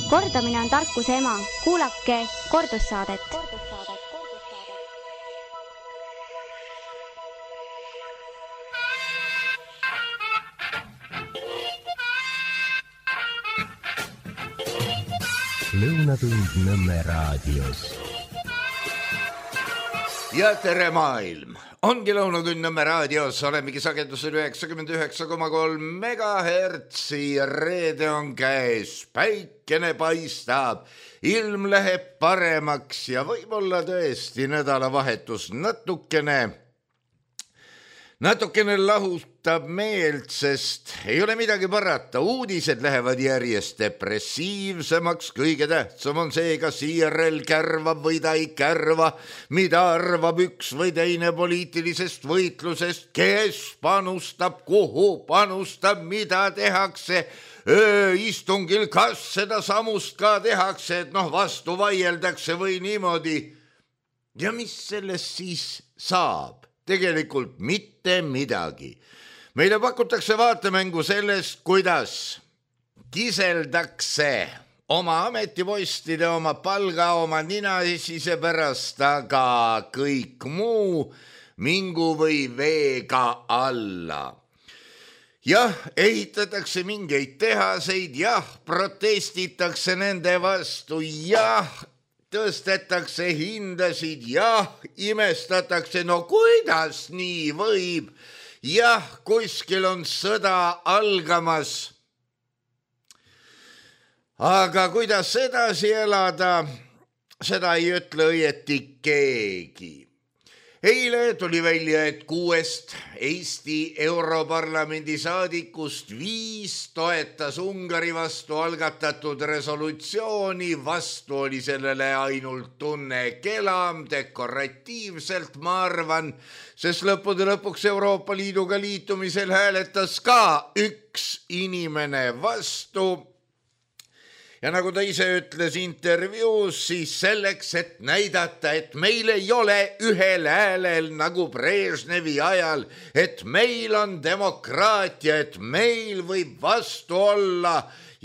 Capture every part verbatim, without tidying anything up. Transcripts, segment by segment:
Kordamine on tarkuse ema. Kuulake kordussaadet. Lõunatund Nõmme raadios. Ja tere maailm! Ongi Lõunatund Nõmme raadios, olemegi sagedusel üheksakümmend üheksa koma kolm megahertsi, reede on käes, päikene paistab, ilm läheb paremaks ja võib-olla tõesti nädalavahetus natukene, natukene lahutab meelt, sest ei ole midagi parata, uudised lähevad järjest depressiivsemaks, kõige tähtsam on see, kas I R L kärvab või ta ei kärva, mida arvab üks või teine poliitilisest võitlusest, kes panustab, kuhu panustab, mida tehakse ööistungil, kas seda samust ka tehakse, et noh, vastu vaieldakse või niimoodi. Ja mis sellest siis saab? Tegelikult mitte midagi. Meile pakutakse vaatemängu sellest, kuidas kiseldakse oma ametipostide, oma palga, oma ninasise pärast, aga kõik muu mingu või veega alla. Jah, ehitatakse mingeid tehaseid, jah, protestitakse nende vastu, jah, tõstetakse hindasid, jah, imestatakse, no kuidas nii võib, jah, kuskil on sõda algamas. Aga kuidas edasi elada, seda ei ütle õieti keegi. Eile tuli välja, et kuuest Eesti Europarlamendi saadikust viis toetas Ungari vastu algatatud resolutsiooni, vastu oli sellele ainult Tunne Kelam, dekoratiivselt ma arvan, sest lõppude lõpuks Euroopa Liiduga liitumisel hääletas ka üks inimene vastu. Ja nagu ta ise ütles intervjuus, siis selleks, et näidata, et meil ei ole ühel häälel nagu Brežnevi ajal, et meil on demokraatia, et meil võib vastu olla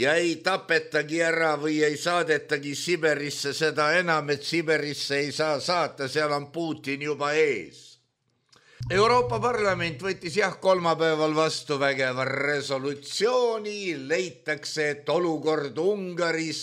ja ei tapetagi ära või ei saadetagi Siberisse, seda enam, et Siberisse ei saa saata, seal on Putin juba ees. Euroopa Parlament võttis jah kolmapäeval vastu vägeva resolutsiooni, leitakse, et olukord Ungaris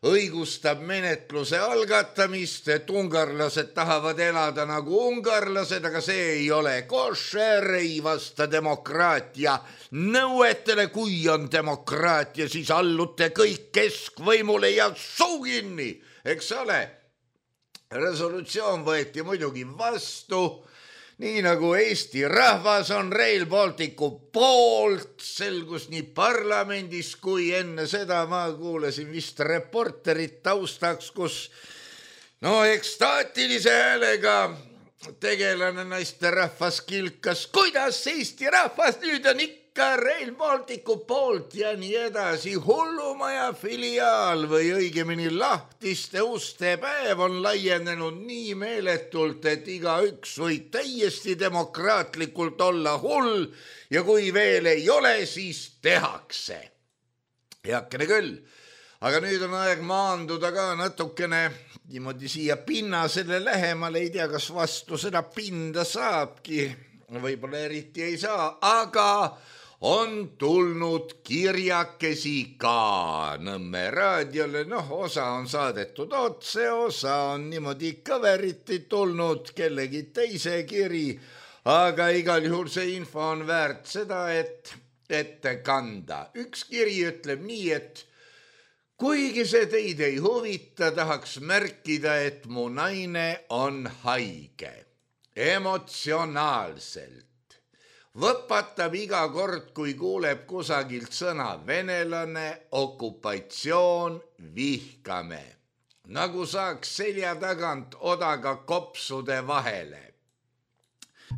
õigustab menetluse algatamist, et ungarlased tahavad elada nagu ungarlased, aga see ei ole košer, ei vasta demokraatia nõuetele, kui on demokraatia, siis allute kõik keskvõimule ja suu kinni, eks ole. Resolutsioon võeti muidugi vastu, nii nagu Eesti rahvas on Rail Balticu poolt, selgus nii parlamendis kui enne seda ma kuulasin vist reporterit taustaks, kus no ekstaatilise häälega tegelane naisterahvas kilkas, kuidas Eesti rahvas nüüd on ikka Rail Balticu poolt ja nii edasi. Hullumaja filiaal või õigemini lahtiste uste päev on laienenud nii meeletult, et iga üks võib täiesti demokraatlikult olla hull ja kui veel ei ole, siis tehakse. Heakene küll, aga nüüd on aeg maanduda ka natukene niimoodi siia pinnasele lähemale, ei tea, kas vastu seda pinda saabki, võib-olla eriti ei saa, aga on tulnud kirjakesi ka Nõmme raadiole, noh, osa on saadetud otse, osa on niimoodi kõveriti tulnud kellegi teise kiri, aga igal juhul see info on väärt seda, et ette kanda. Üks kiri ütleb nii, et kuigi see teid ei huvita, tahaks märkida, et mu naine on haige, emotsionaalselt. Võpatab iga kord, kui kuuleb kusagilt sõna venelane, okupatsioon, vihkame. Nagu saaks selja tagant odaga kopsude vahele.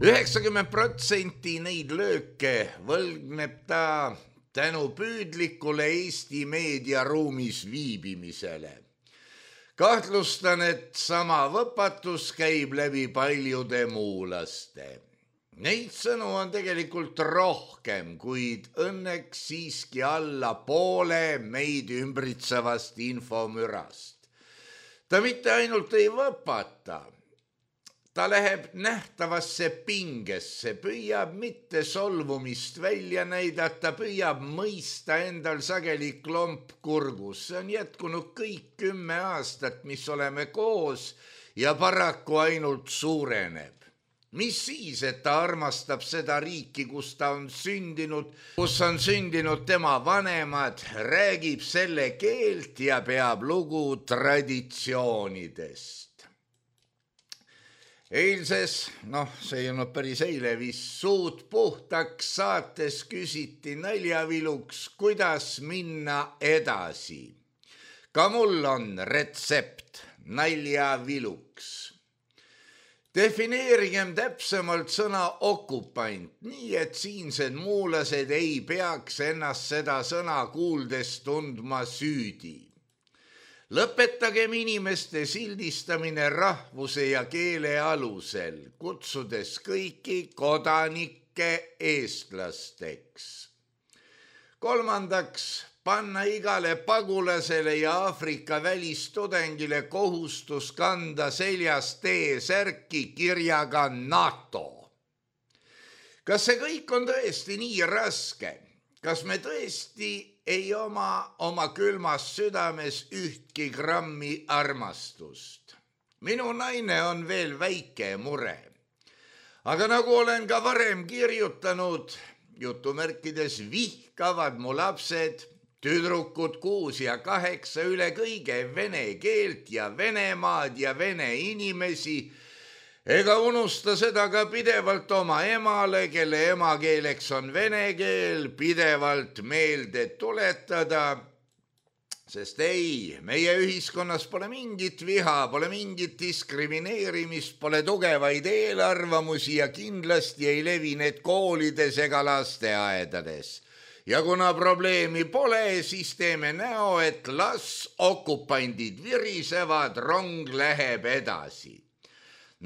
üheksakümmend protsenti neid lööke võlgneb ta tänu püüdlikule Eesti meediaruumis viibimisele. Kahtlustan, et sama võpatus käib läbi paljude muulaste. Neid sõnu on tegelikult rohkem, kuid õnneks siiski alla poole meid ümbritsevast infomürast. Ta mitte ainult ei võpata, ta läheb nähtavasse pingesse, püüab mitte solvumist välja näidata, püüab mõista endal sageli klomp kurgus. See on jätkunud kõik kümme aastat, mis oleme koos ja paraku ainult suureneb. Mis siis, et ta armastab seda riiki, kus ta on sündinud, kus on sündinud tema vanemad, räägib selle keelt ja peab lugu traditsioonidest. Eilses, noh, see ei olnud päris eile, vist suud puhtaks saates küsiti naljaviluks, kuidas minna edasi. Ka mul on retsept naljaviluks. Defineerigem täpsemalt sõna okupant, nii et siinsed muulased ei peaks ennast seda sõna kuuldes tundma süüdi. Lõpetagem inimeste sildistamine rahvuse ja keele alusel, kutsudes kõiki kodanikke eestlasteks. Kolmandaks, panna igale pagulasele ja Aafrika välistudengile kohustus kanda seljas T-särki kirjaga NATO. Kas see kõik on tõesti nii raske? Kas me tõesti ei oma oma külmas südames ühtki grammi armastust? Minu naine on veel väike mure. Aga nagu olen ka varem kirjutanud, jutumärkides vihkavad mu lapsed, tüdrukud kuus ja kaheksa üle kõige vene keelt ja Venemaad ja vene inimesi, ega unusta seda ka pidevalt oma emale, kelle emakeeleks on vene keel, pidevalt meelde tuletada, sest ei, meie ühiskonnas pole mingit viha, pole mingit diskrimineerimist, pole tugevaid eelarvamusi ja kindlasti ei levi need koolides ega lasteaedades. Ja kuna probleemi pole, siis teeme näo, et las okupandid virisevad, rong läheb edasi.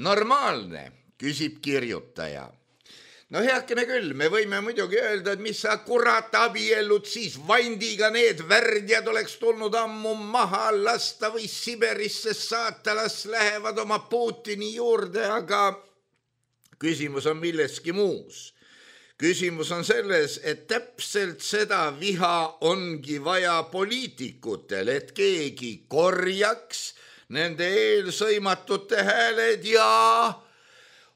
Normaalne, küsib kirjutaja. No heakene küll, me võime muidugi öelda, et mis sa kurat abiellud siis vandiga, need värdjad oleks tulnud ammu maha lasta või Siberisse saata, las lähevad oma Putini juurde, aga küsimus on milleski muus. Küsimus on selles, et täpselt seda viha ongi vaja poliitikutel, et keegi korjaks nende eelsõimatute hääled ja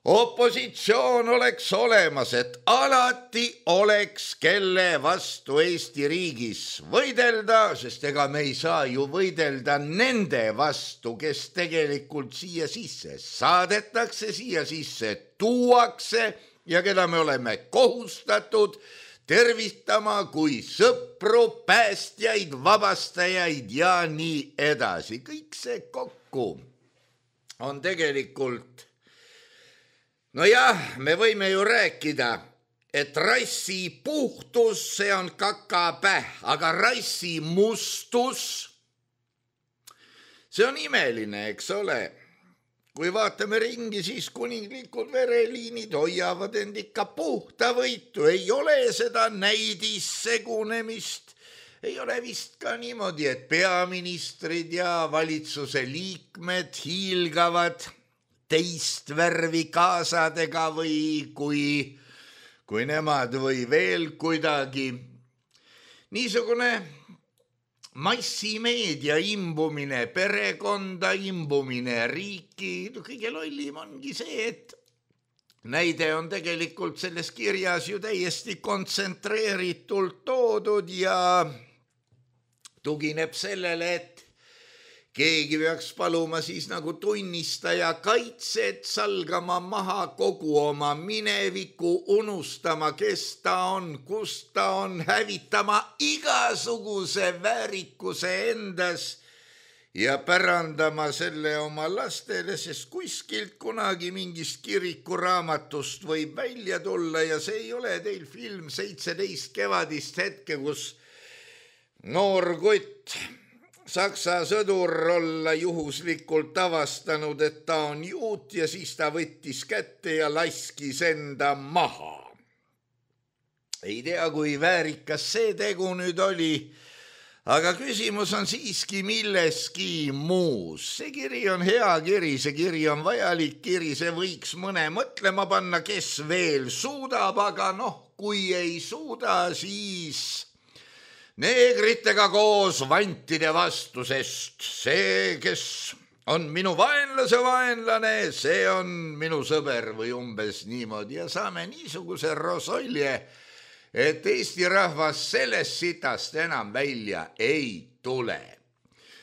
opositsioon oleks olemas, et alati oleks kelle vastu Eesti riigis võidelda, sest ega me ei saa ju võidelda nende vastu, kes tegelikult siia sisse saadetakse, siia sisse tuuakse ja keda me oleme kohustatud tervitama kui sõpru, päästjaid, vabastajaid ja nii edasi. Kõik see kokku on tegelikult, no jah, me võime ju rääkida, et rassi puhtus, see on kakapäh, aga rassi mustus, see on imeline, eks ole. Kui vaatame ringi, siis kuninglikud vereliinid hoiavad end ikka puhta võitu, ei ole seda näidissegunemist, ei ole vist ka niimoodi, et peaministrid ja valitsuse liikmed hiilgavad teist värvi kaasadega või kui, kui nemad või veel kuidagi. Niisugune massimeedia imbumine, perekonda imbumine, riiki, kõige lollim ongi see, et näide on tegelikult selles kirjas ju täiesti kontsentreeritult toodud ja tugineb sellele, et keegi peaks paluma siis nagu tunnistaja kaitset, salgama maha kogu oma mineviku, unustama, kes ta on, kus ta on, hävitama igasuguse väärikuse endas ja pärandama selle oma lastele, sest kuskilt kunagi mingist kirikuraamatust võib välja tulla ja see ei ole teil film seitseteist kevadist hetke, kus noor kutt Saksa sõdur olla juhuslikult avastanud, et ta on juut ja siis ta võttis kätte ja laskis enda maha. Ei tea, kui väärikas see tegu nüüd oli, aga küsimus on siiski milleski muus. See kiri on hea kiri, see kiri on vajalik kiri, see võiks mõne mõtlema panna, kes veel suudab, aga noh, kui ei suuda, siis neegritega koos vantide vastu, sest see, kes on minu vaenlase vaenlane, see on minu sõber või umbes niimoodi ja saame niisuguse rosolje, et Eesti rahvas sellest sitast enam välja ei tule.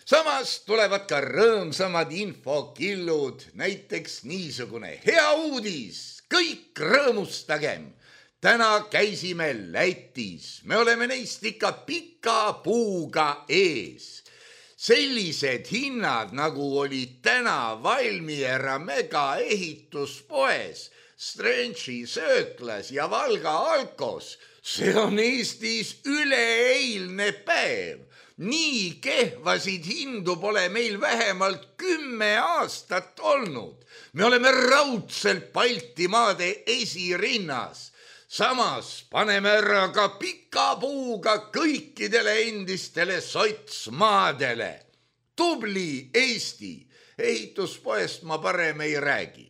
Samas tulevad ka rõõmsamad infokillud, näiteks niisugune hea uudis, kõik rõõmustagem. Täna käisime Lätis, me oleme neist ikka pika puuga ees. Sellised hinnad, nagu olid täna Valmiera mega ehituspoes, Strentši sööklas ja Valga Alkos, see on Eestis üleeilne päev. Nii kehvasid hindu pole meil vähemalt kümme aastat olnud. Me oleme raudselt Baltimaade esirinnas. Samas paneme ära ka pika puuga kõikidele endistele sotsmaadele. Tubli Eesti, ehituspoest ma parem ei räägi.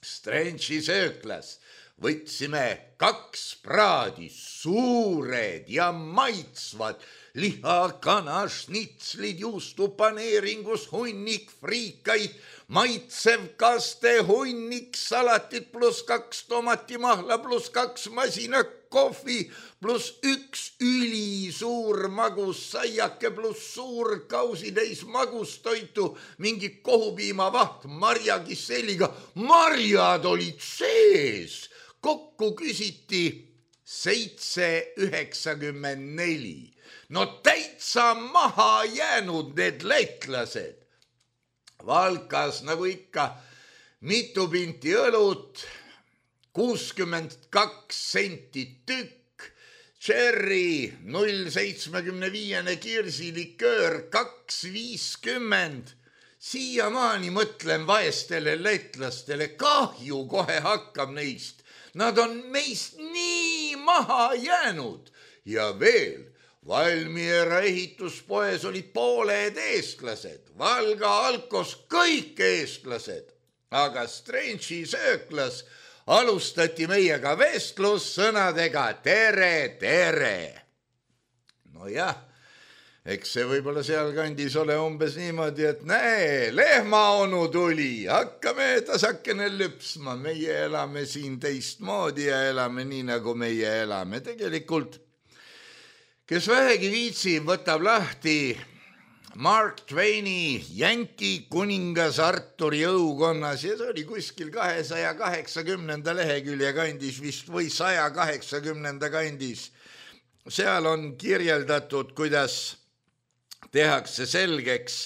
Strentši sööklas võtsime kaks praadi, suured ja maitsvad, liha, kana, šnitslid, juustupaneeringus, hunnik, friikaid, maitsev kaste, hunnik, salatit pluss kaks tomatimahla pluss kaks masina kohvi pluss üks ülisuur magus saiake pluss suur kausitäis magustoitu, mingi kohupiimavaht marjakisseliga. Marjad olid sees. Kokku küsiti seitse üheksakümmend neli. No täitsa maha jäänud need lätlased. Valkas nagu ikka mitu pinti õlut, kuuskümmend kaks senti tükk, cherry null seitsekümmend viis kirsiliköör kaks viiskümmend. Siiamaani mõtlen vaestele lätlastele, kahju kohe hakkab neist. Nad on meist nii maha jäänud ja veel Valmiera ehituspoes olid pooled eestlased, Valga Alkos kõik eestlased, aga Strentši sööklas alustati meiega vestlus sõnadega tere, tere. No jah, eks see võib-olla sealkandis ole umbes niimoodi, et näe, lehmaonu tuli, hakkame tasakene lüpsma, meie elame siin teistmoodi ja elame nii, nagu meie elame. Tegelikult kes vähegi viitsib, võtab lahti Mark Twaini Jänki kuningas Arturi õukonnas ja see oli kuskil kahesaja kaheksakümnenda lehekülje kandis vist või saja kaheksakümnenda kandis. Seal on kirjeldatud, kuidas tehakse selgeks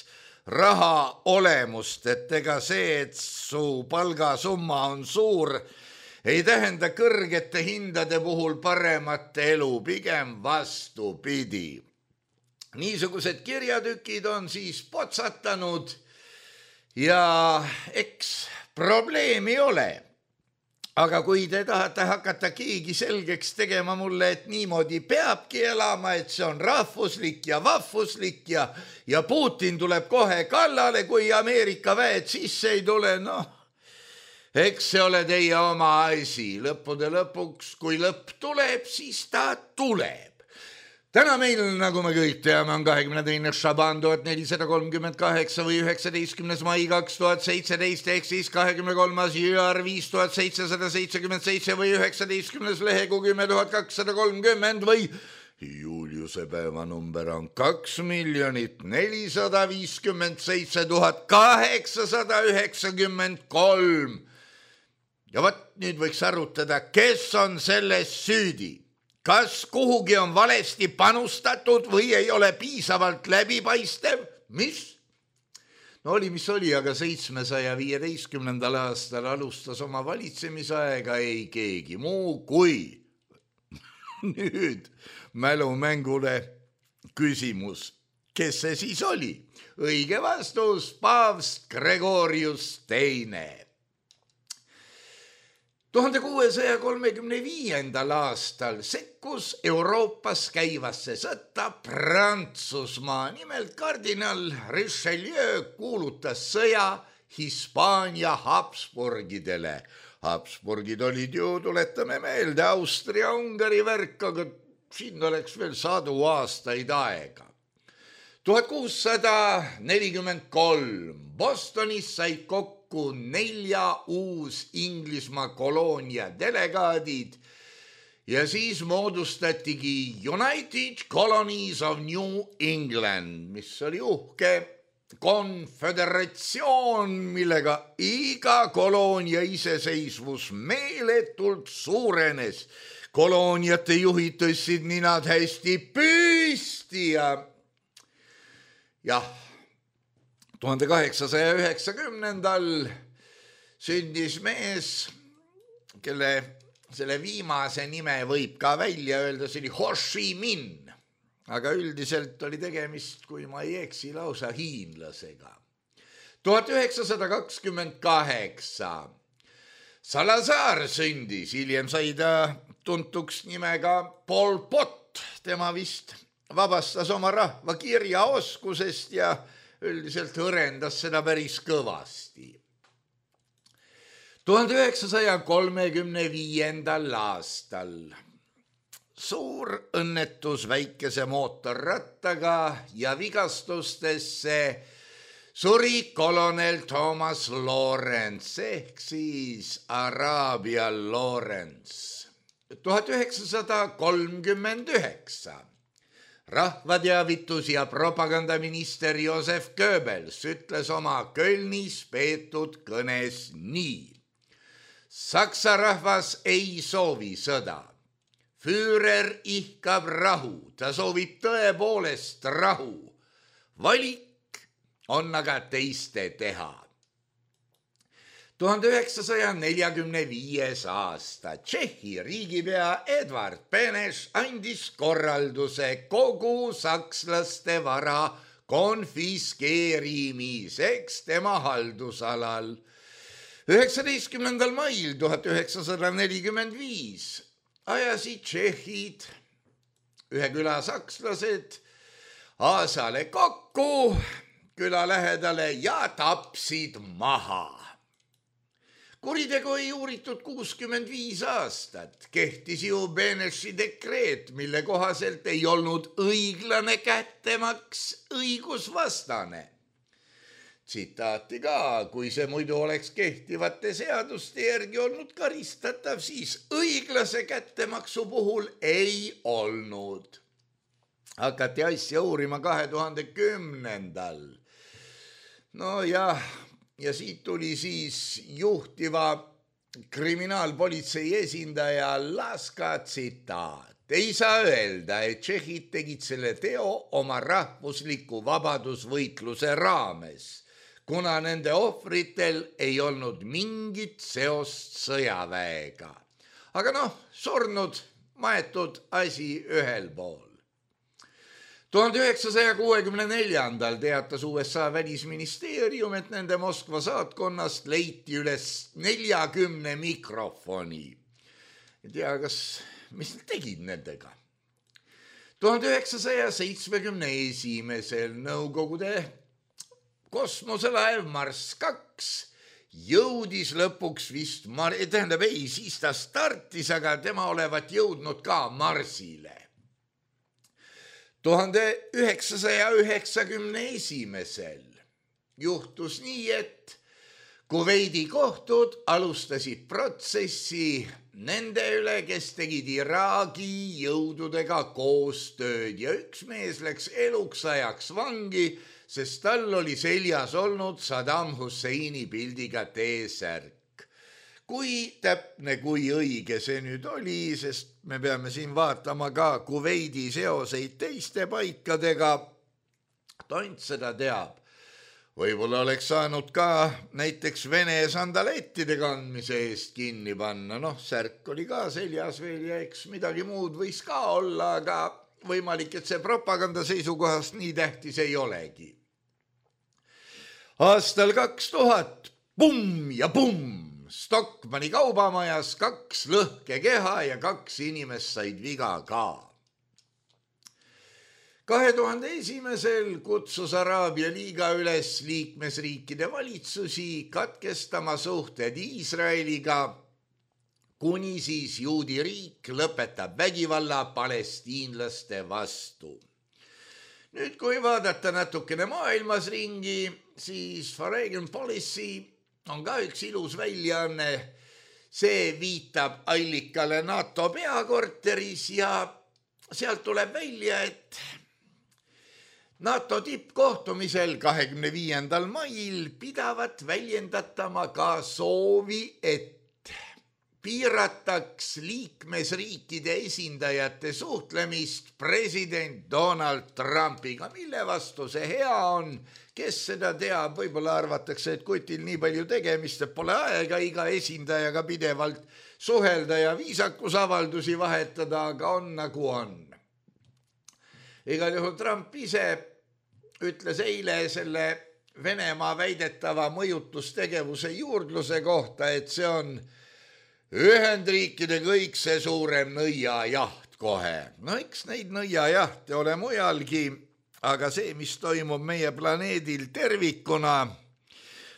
raha olemust, et ega see, et su palgasumma on suur, ei tähenda kõrgete hindade puhul paremat elu, pigem vastupidi. Niisugused kirjatükid on siis potsatanud ja eks probleemi ole. Aga kui te tahate hakata keegi selgeks tegema mulle, et niimoodi peabki elama, et see on rahvuslik ja vahvuslik ja, ja Putin tuleb kohe kallale, kui Ameerika väed sisse ei tule, noh, eks see ole teie oma asi. Lõppude lõpuks, kui lõpp tuleb, siis ta tuleb. Täna meil, nagu me kõik teame, on kahekümne teine Šaban tuhat nelisada kolmkümmend kaheksa või üheksateistkümnes mai kaks tuhat seitseteist ehk siis kahekümne kolmas jõar viis tuhat seitsesada seitsekümmend seitse või üheksateistkümnes lehegu kümme tuhat kakssada kolmkümmend või Juliuse päevanumber on kaks miljonit nelisada viiskümmend seitse tuhat kaheksasada üheksakümmend kolm. Ja võt nüüd võiks arutada, kes on selles süüdi. Kas kuhugi on valesti panustatud või ei ole piisavalt läbipaistev? Mis? No oli, mis oli, aga seitsmesaja viieteistkümnendal aastal alustas oma valitsemisaega ei keegi muu kui nüüd mälumängule küsimus. kes see siis oli? Õige vastus, paavst Gregorius teine. tuhande kuuesaja kolmekümne viiendal aastal sekkus Euroopas käivasse sõtta Prantsusmaa. Nimelt kardinal Richelieu kuulutas sõja Hispaania Habsburgidele. Habsburgid olid ju, tuletame meelde, Austria-Ungari värk, aga siin oleks veel sadu aastaid aega. tuhat kuussada nelikümmend kolm Bostonis said kokku nelja uus Inglismaa koloonia delegaadid ja siis moodustatigi United Colonies of New England, mis oli uhke konföderatsioon, millega iga koloonia iseseisvus meeletult suurenes. Kolooniate juhid tõstsid ninad hästi püsti ja jah, tuhande kaheksasaja üheksakümnendal sündis mees, kelle selle viimase nime võib ka välja öelda, see oli Ho Chi Minh, aga üldiselt oli tegemist, kui ma ei eksi, lausa hiinlasega. tuhat üheksasada kakskümmend kaheksa Salazar sündis, hiljem sai ta tuntuks nimega Pol Pot, tema vist vabastas oma rahva kirjaoskusest ja üldiselt õrendas seda päris kõvasti. tuhande üheksasaja kolmekümne viiendal aastal suur õnnetus väikese mootorrattaga ja vigastustesse suri kolonel Thomas Lawrence ehk siis Araabia Lawrence. tuhat üheksasada kolmkümmend üheksa rahvateavitus- ja propagandaminister Josef Goebbels ütles oma Kölnis peetud kõnes nii. Saksa rahvas ei soovi sõda. Führer ihkab rahu, ta soovib tõepoolest rahu. Valik on aga teiste teha. tuhande üheksasaja neljakümne viies aasta Tšehhi riigipea Edvard Beneš andis korralduse kogu sakslaste vara konfiskeerimiseks tema haldusalal. üheksateistkümnendal mail tuhat üheksasada nelikümmend viis ajasid tšehhid, ühe küla sakslased, aasale kokku küla lähedale ja tapsid maha. Kuritegu ei uuritud kuuskümmend viis aastat, kehtis ju Beneši dekreet, mille kohaselt ei olnud õiglane kättemaks õigusvastane. Tsitaati ka, kui see muidu oleks kehtivate seaduste järgi olnud karistatav, siis õiglase kättemaksu puhul ei olnud. Hakati asja uurima kahe tuhande kümnendal. No jah, ja siit tuli siis juhtiva kriminaalpolitsei esindaja Laska tsitaat. Ei saa öelda, et tšehhid tegid selle teo oma rahvusliku vabadusvõitluse raames, kuna nende ohvritel ei olnud mingit seost sõjaväega. Aga noh, surnud, maetud asi ühel pool. tuhande üheksasaja kuuekümne neljandal teatas U S A välisministeerium, et nende Moskva saatkonnast leiti üles neljakümne mikrofoni. Ei tea, kas, mis nad tegid nendega? tuhande üheksasaja seitsmekümne esimesel Nõukogude kosmoselaev Marss kaks jõudis lõpuks vist, tähendab ei, siis ta startis, aga tema olevat jõudnud ka Marsile. tuhande üheksasaja üheksakümne esimesel juhtus nii, et Kuveidi kohtud alustasid protsessi nende üle, kes tegid Iraagi jõududega koostööd ja üks mees läks eluks ajaks vangi, sest tal oli seljas olnud Saddam Husseini pildiga T-särk. Kui täpne, kui õige see nüüd oli, sest me peame siin vaatama ka Kuveidi seoseid teiste paikadega. Tont seda teab. Võib-olla oleks saanud ka näiteks Vene sandalettide kandmise eest kinni panna. Noh, särk oli ka seljas veel ja eks midagi muud võis ka olla, aga võimalik, et see propaganda seisukohast nii tähtis ei olegi. Aastal kaks tuhat, pumm ja pumm, Stockmanni kaubamajas kaks lõhkekeha ja kaks inimest said viga ka. kahe tuhande esimesel kutsus Araabia liiga üles liikmesriikide valitsusi katkestama suhted Iisraeliga, kuni siis juudi riik lõpetab vägivalla palestiinlaste vastu. Nüüd, kui vaadata natukene maailmas ringi, siis Foreign Policy on ka üks ilus väljaanne. See viitab allikale NATO peakorteris ja sealt tuleb välja, et NATO tippkohtumisel kahekümne viiendal mail pidavat väljendatama ka soovi, et piirataks liikmesriikide esindajate suhtlemist president Donald Trumpiga. Mille vastu see hea on? Kes seda teab? Võib-olla arvatakse, et kutil nii palju tegemist, et pole aega iga esindajaga pidevalt suhelda ja viisakusavaldusi vahetada, aga on nagu on. Igal juhul Trump ise ütles eile selle Venemaa väidetava mõjutustegevuse juurdluse kohta, et see on Ühendriikide kõik see suurem nõiajaht kohe. No eks neid nõiajahte ole mujalgi, aga see, mis toimub meie planeedil tervikuna,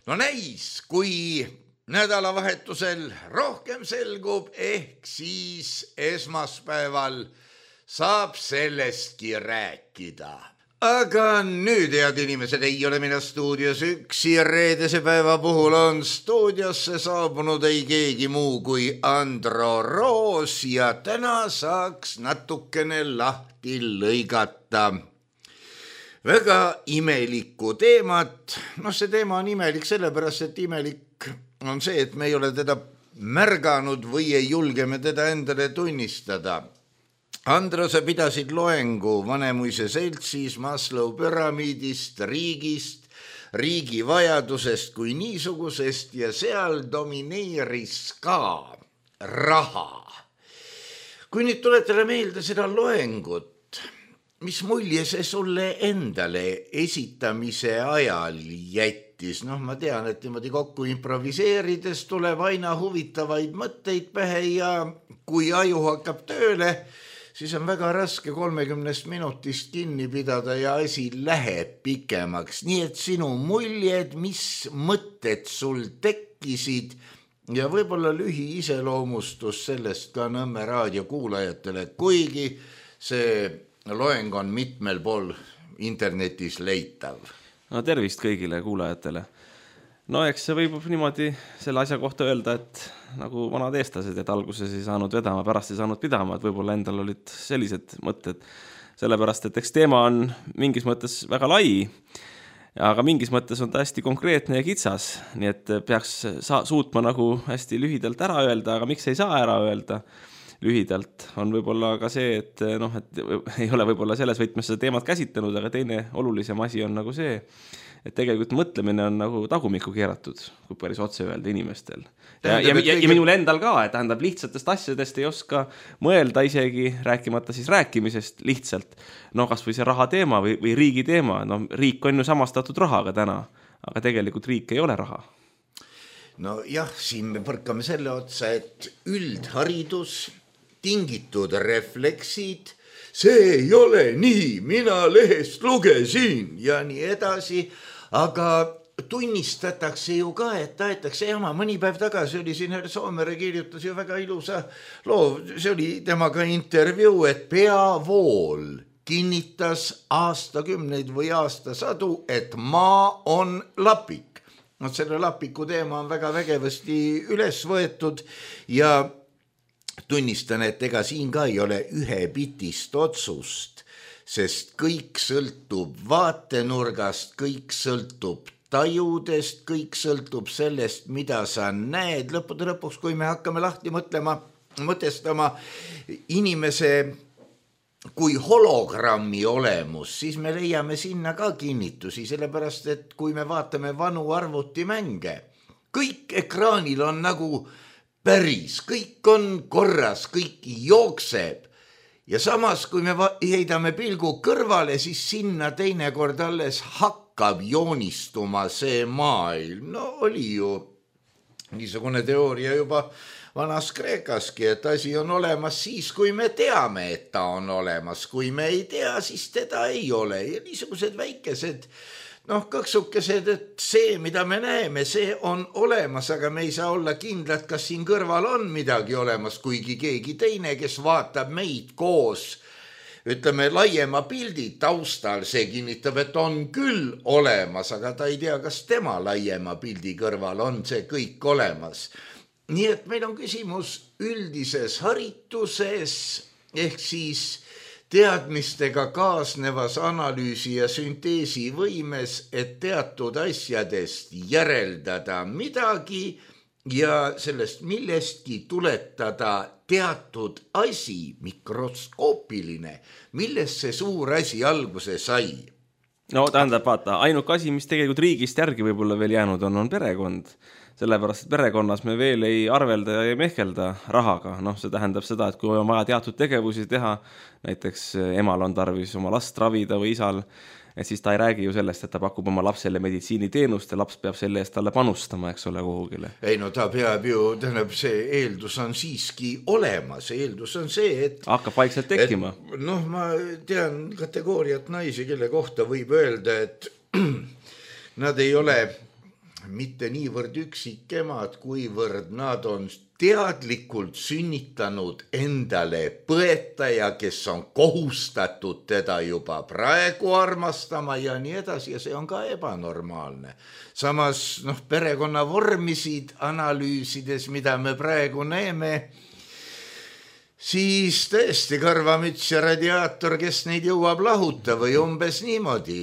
no näis, kui nädalavahetusel rohkem selgub, ehk siis esmaspäeval saab sellestki rääkida. Aga nüüd, head inimesed, ei ole mina stuudios üksi. Reedese päeva puhul on stuudiosse saabunud ei keegi muu kui Andro Roos ja täna saaks natukene lahti lõigata väga imelikku teemat. No see teema on imelik sellepärast, et imelik on see, et me ei ole teda märganud või ei julge me teda endale tunnistada. Andro, sa pidasid loengu Vanemuise seltsis Maslow püramiidist, riigist, riigi vajadusest kui niisugusest ja seal domineeris ka raha. Kui nüüd tuletada meelde seda loengut, mis mulje see sulle endale esitamise ajal jättis? Noh, ma tean, et niimoodi kokku improviseerides tuleb aina huvitavaid mõtteid pähe ja kui aju hakkab tööle, siis on väga raske kolmekümnest minutist kinni pidada ja asi läheb pikemaks. Nii et sinu muljed, mis mõtted sul tekkisid ja võib-olla lühi iseloomustus sellest ka Nõmme raadio kuulajatele, kuigi see loeng on mitmel pool internetis leitav. No tervist kõigile kuulajatele. No eks see võib niimoodi selle asja kohta öelda, et nagu vanad eestlased, et alguses ei saanud vedama, pärast ei saanud pidama, et võib-olla endal olid sellised mõtted. Sellepärast, et eks teema on mingis mõttes väga lai, aga mingis mõttes on ta hästi konkreetne ja kitsas, nii et peaks sa- suutma nagu hästi lühidalt ära öelda, aga miks ei saa ära öelda lühidalt, on võib-olla ka see, et, noh, et ei ole võib-olla selles võtmes seda teemat käsitlenud, aga teine olulisem asi on nagu see, et tegelikult mõtlemine on nagu tagumikku keeratud, kui päris otse öelda inimestel. Ja, ja, ja, ja minul endal ka, et tähendab lihtsatest asjadest ei oska mõelda isegi, rääkimata siis rääkimisest lihtsalt. No kas või see raha teema või, või riigi teema, no riik on ju samastatud rahaga täna, aga tegelikult riik ei ole raha. No jah, siin me põrkame selle otsa, et üldharidus, tingitud refleksid, see ei ole nii, mina lehest lugesin ja nii edasi, aga tunnistatakse ju ka, et taetakse jama. Mõni päev tagasi oli siin Herr Soomere kirjutas ju väga ilusa loo, see oli temaga intervjuu, et peavool kinnitas aastakümneid või aastasadu, et maa on lapik. No selle lapiku teema on väga vägevasti üles võetud ja tunnistan, et ega siin ka ei ole ühe bitist otsust, sest kõik sõltub vaatenurgast, kõik sõltub tajudest, kõik sõltub sellest, mida sa näed. Lõppude lõpuks, kui me hakkame lahti mõtlema, mõtestama inimese kui hologrammi olemus, siis me leiame sinna ka kinnitusi, sellepärast, et kui me vaatame vanu arvutimänge, kõik ekraanil on nagu päris, kõik on korras, kõik jookseb ja samas, kui me heidame pilgu kõrvale, siis sinna teinekord alles hakkab joonistuma see maailm. No oli ju niisugune teooria juba vanas Kreekaski, et asi on olemas siis, kui me teame, et ta on olemas. Kui me ei tea, siis teda ei ole. Ja niisugused väikesed noh, kõksukesed, et see, mida me näeme, see on olemas, aga me ei saa olla kindlad, kas siin kõrval on midagi olemas, kuigi keegi teine, kes vaatab meid koos, ütleme, laiema pildi taustal, see kinnitab, et on küll olemas, aga ta ei tea, kas tema laiema pildi kõrval on see kõik olemas. Nii et meil on küsimus üldises harituses, ehk siis teadmistega kaasnevas analüüsi ja sünteesi võimes, et teatud asjadest järeldada midagi ja sellest millestki tuletada teatud asi, mikroskoopiline, millest see suur asi alguse sai. No tähendab, vaata, ainuke asi, mis tegelikult riigist järgi võib-olla veel jäänud on, on perekond. Sellepärast, et perekonnas me veel ei arvelda ja ei mehkelda rahaga. Noh, see tähendab seda, et kui on vaja teatud tegevusi teha, näiteks emal on tarvis oma last ravida või isal, et siis ta ei räägi ju sellest, et ta pakub oma lapsele meditsiiniteenust ja laps peab selle eest talle panustama, eks ole, kuhugile. Ei no ta peab ju, tähendab, see eeldus on siiski olemas. Eeldus on see, et hakkab vaikselt tekkima. Et, noh, ma tean kategooriat naisi, kelle kohta võib öelda, et nad ei ole mitte niivõrd üksikemad, kuivõrd nad on teadlikult sünnitanud endale põetaja, kes on kohustatud teda juba praegu armastama ja nii edasi ja see on ka ebanormaalne. Samas noh, perekonna vormisid analüüsides, mida me praegu näeme, siis tõesti karvamüts ja radiaator, kes neid jõuab lahuta või umbes niimoodi.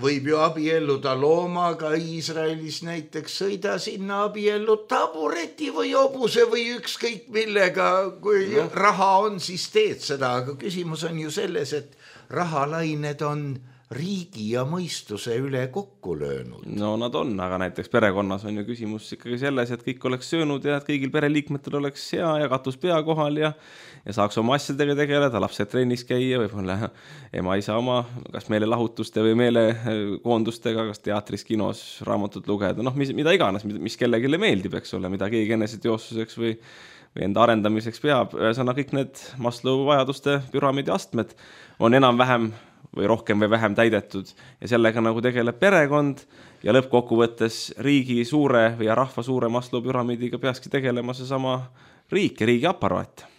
Võib ju abielluda loomaga Iisraelis näiteks, sõida sinna abiellu tabureti või obuse või ükskõik millega, kui no. Raha on, siis teed seda, aga küsimus on ju selles, et rahalained on riigi ja mõistuse üle kokku löönud. No nad on, aga näiteks perekonnas on ju küsimus ikkagi selles, et kõik oleks söönud ja et kõigil pereliikmetel oleks hea ja katus pea kohal ja, ja saaks oma asjadega tegeleda, lapsed trennis käia, võib-olla ema isa oma kas meelelahutuste või meelekoondustega, kas teatris, kinos, raamatut lugeda, noh, mis, mida iganes, mis kellegile meeldib, eks ole, mida keegi eneseteostuseks või, või enda arendamiseks peab. Ühesõna, kõik need Maslow vajaduste püramiidi astmed on enam-vähem või rohkem või vähem täidetud ja sellega nagu tegeleb perekond ja lõppkokkuvõttes riigi suure või rahva suure Maslow püramiidiga peakski tegelema see sama riik ja riigi aparaat.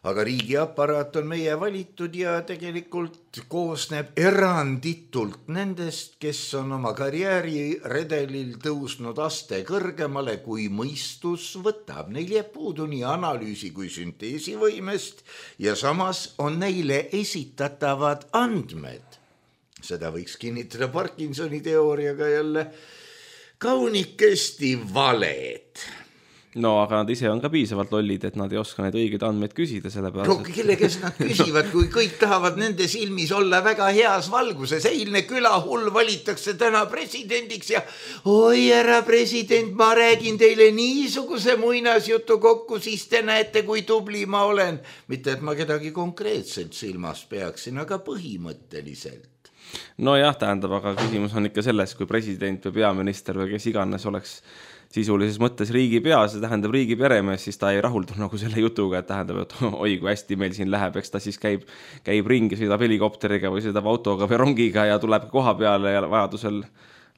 Aga riigi aparaat on meie valitud ja tegelikult koosneb eranditult nendest, kes on oma karjääri redelil tõusnud aste kõrgemale, kui mõistus võtab. Neil jääb puudu nii analüüsi kui sünteesivõimest ja samas on neile esitatavad andmed. Seda võiks kinnitada Parkinsoni teooriaga jälle kaunikesti valed. No aga nad ise on ka piisavalt lollid, et nad ei oska neid õigeid andmeid küsida sellepärast. No kelle, kes nad küsivad, kui kõik tahavad nende silmis olla väga heas valguses. Eilne külahull valitakse täna presidendiks ja oi, härra president, ma räägin teile niisuguse muinasjutu kokku, siis te näete, kui tubli ma olen. Mitte, et ma kedagi konkreetselt silmas peaksin, aga põhimõtteliselt. No jah, tähendab, aga küsimus on ikka selles, kui president või peaminister või kes iganes oleks sisulises mõttes riigi pea, see tähendab riigi peremees, siis ta ei rahuldu nagu selle jutuga, et tähendab, et oi, kui hästi meil siin läheb, eks ta siis käib, käib ringi, sõidab helikopteriga või sõidab autoga või rongiga ja tuleb koha peale ja vajadusel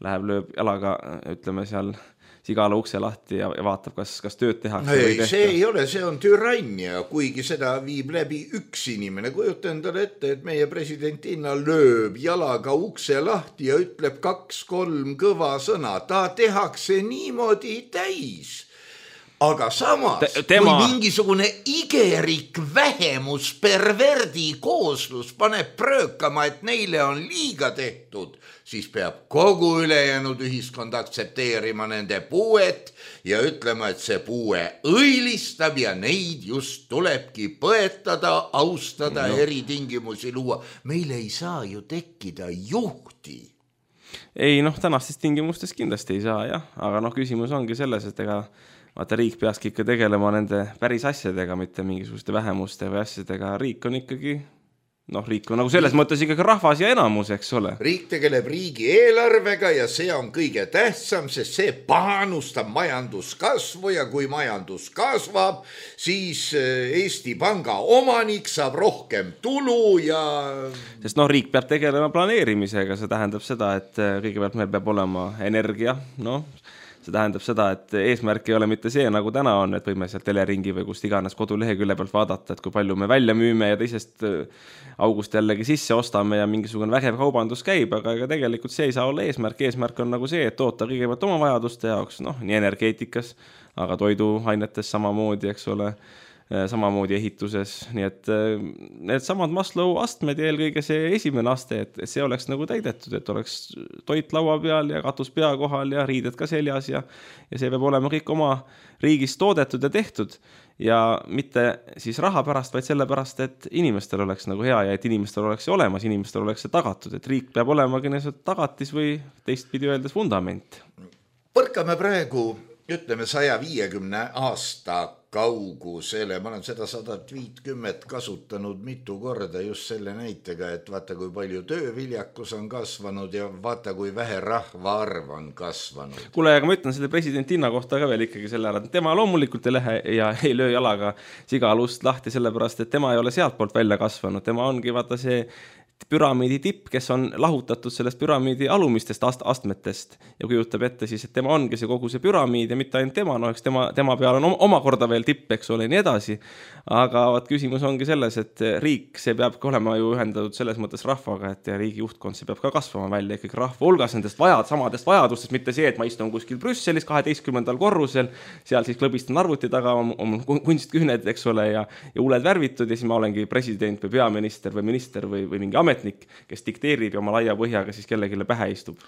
läheb, lööb jalaga, ütleme seal sigala ukse lahti ja vaatab, kas, kas tööd tehakse ei, või see ei ole, see on türannia, kuigi seda viib läbi üks inimene. Kujuta endale ette, et meie presidentina lööb jalaga ukse lahti ja ütleb kaks-kolm kõva sõna. Ta tehakse niimoodi täis. Aga samas, Te, tema... kui mingisugune igerik vähemus perverdi kooslus paneb pröökama, et neile on liiga tehtud, siis peab kogu ülejäänud ühiskond aktsepteerima nende puuet ja ütlema, et see puue õilistab ja neid just tulebki põetada, austada, no. Eritingimusi luua. Meil ei saa ju tekkida juhti. Ei, noh, tänastes tingimustes kindlasti ei saa, jah. Aga noh, küsimus ongi selles, et ega vaata, riik peakski ikka tegelema nende päris asjadega, mitte mingisuguste vähemuste või asjadega. Riik on ikkagi noh, riik on nagu selles mõttes ikkagi rahvas ja enamus, eks ole. Riik tegeleb riigi eelarvega ja see on kõige tähtsam, sest see panustab majanduskasvu ja kui majandus kasvab, siis Eesti Panga omanik saab rohkem tulu ja... Sest noh, riik peab tegelema planeerimisega, see tähendab seda, et kõigepealt meil peab olema energia, noh, see tähendab seda, et eesmärk ei ole mitte see, nagu täna on, et võime sealt teleringi või kust iganes kodulehekülje pealt vaadata, et kui palju me välja müüme ja teisest august jällegi sisse ostame ja mingisugune vägev kaubandus käib, aga ega tegelikult see ei saa olla eesmärk. Eesmärk on nagu see, et toota kõigepealt oma vajaduste jaoks, noh, nii energeetikas, aga toiduainetes samamoodi, eks ole, samamoodi ehituses, nii et need samad Maslow astmed ja eelkõige see esimene aste, et see oleks nagu täidetud, et oleks toit laua peal ja katus pea kohal ja riided ka seljas ja, ja see peab olema kõik oma riigis toodetud ja tehtud ja mitte siis raha pärast, vaid selle pärast, et inimestel oleks nagu hea ja et inimestel oleks see olemas, inimestel oleks see tagatud, et riik peab olema tagatis või teistpidi öeldes fundament. Põrkame praegu, ütleme, saja viiekümne aasta kaugusele, ma olen seda sadat viitkümmet kasutanud mitu korda just selle näitega, et vaata, kui palju tööviljakus on kasvanud ja vaata, kui vähe rahvaarv on kasvanud. Kuule, aga ma ütlen selle presidentinna kohta ka veel ikkagi selle ära, et tema loomulikult ei lähe ja ei löö jalaga sigalust lahti sellepärast, et tema ei ole sealt poolt välja kasvanud, tema ongi vaata see püramiidi tipp, kes on lahutatud sellest püramiidi alumistest ast- astmetest ja kujutab ette siis, et tema ongi see kogu see püramiid ja mitte ainult tema, no eks tema, tema peal on omakorda veel tipp, eks ole, nii edasi. Aga vaat küsimus ongi selles, et riik, see peab olema ju ühendatud selles mõttes rahvaga, et riigi juhtkond, see peab ka kasvama välja ikkagi rahva hulgas nendest vajad, samadest vajadustest, mitte see, et ma istun kuskil Brüsselis kaheteistkümnendal korrusel, seal siis klõbistan arvuti taga, on, on kunstkühned, eks ole, ja, ja uled värvitud ja siis ma olengi president või peaminister või minister või, või mingi ametnik, kes dikteerib ja oma laia põhjaga siis kellegile pähe istub.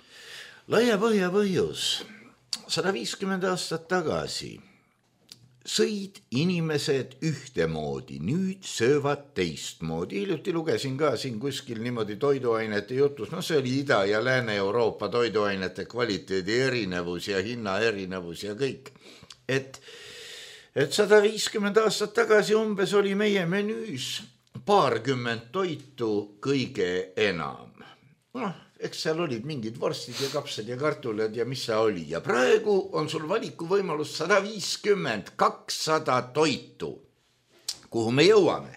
Laia põhja põhjus. sada viiskümmend aastat tagasi sõid inimesed ühtemoodi, nüüd söövad teistmoodi. Hiljuti lugesin ka siin kuskil niimoodi toiduainete jutus, no see oli Ida- ja Lääne-Euroopa toiduainete kvaliteedi erinevus ja hinna erinevus ja kõik. Et, et sada viiskümmend aastat tagasi umbes oli meie menüüs paarkümmend toitu kõige enam. Noh, eks seal olid mingid vorstid ja kapsad ja kartulad ja mis see oli. Ja praegu on sul valiku võimalus sada viiskümmend, kakssada toitu, kuhu me jõuame.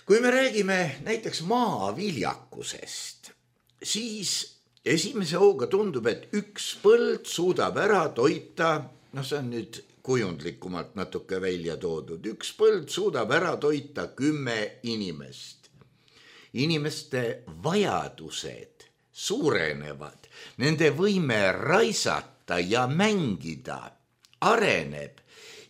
Kui me räägime näiteks maaviljakusest, siis esimese hooga tundub, et üks põld suudab ära toita, noh see on nüüd kujundlikumalt natuke välja toodud, üks põld suudab ära toita kümme inimest. Inimeste vajadused suurenevad, nende võime raisata ja mängida areneb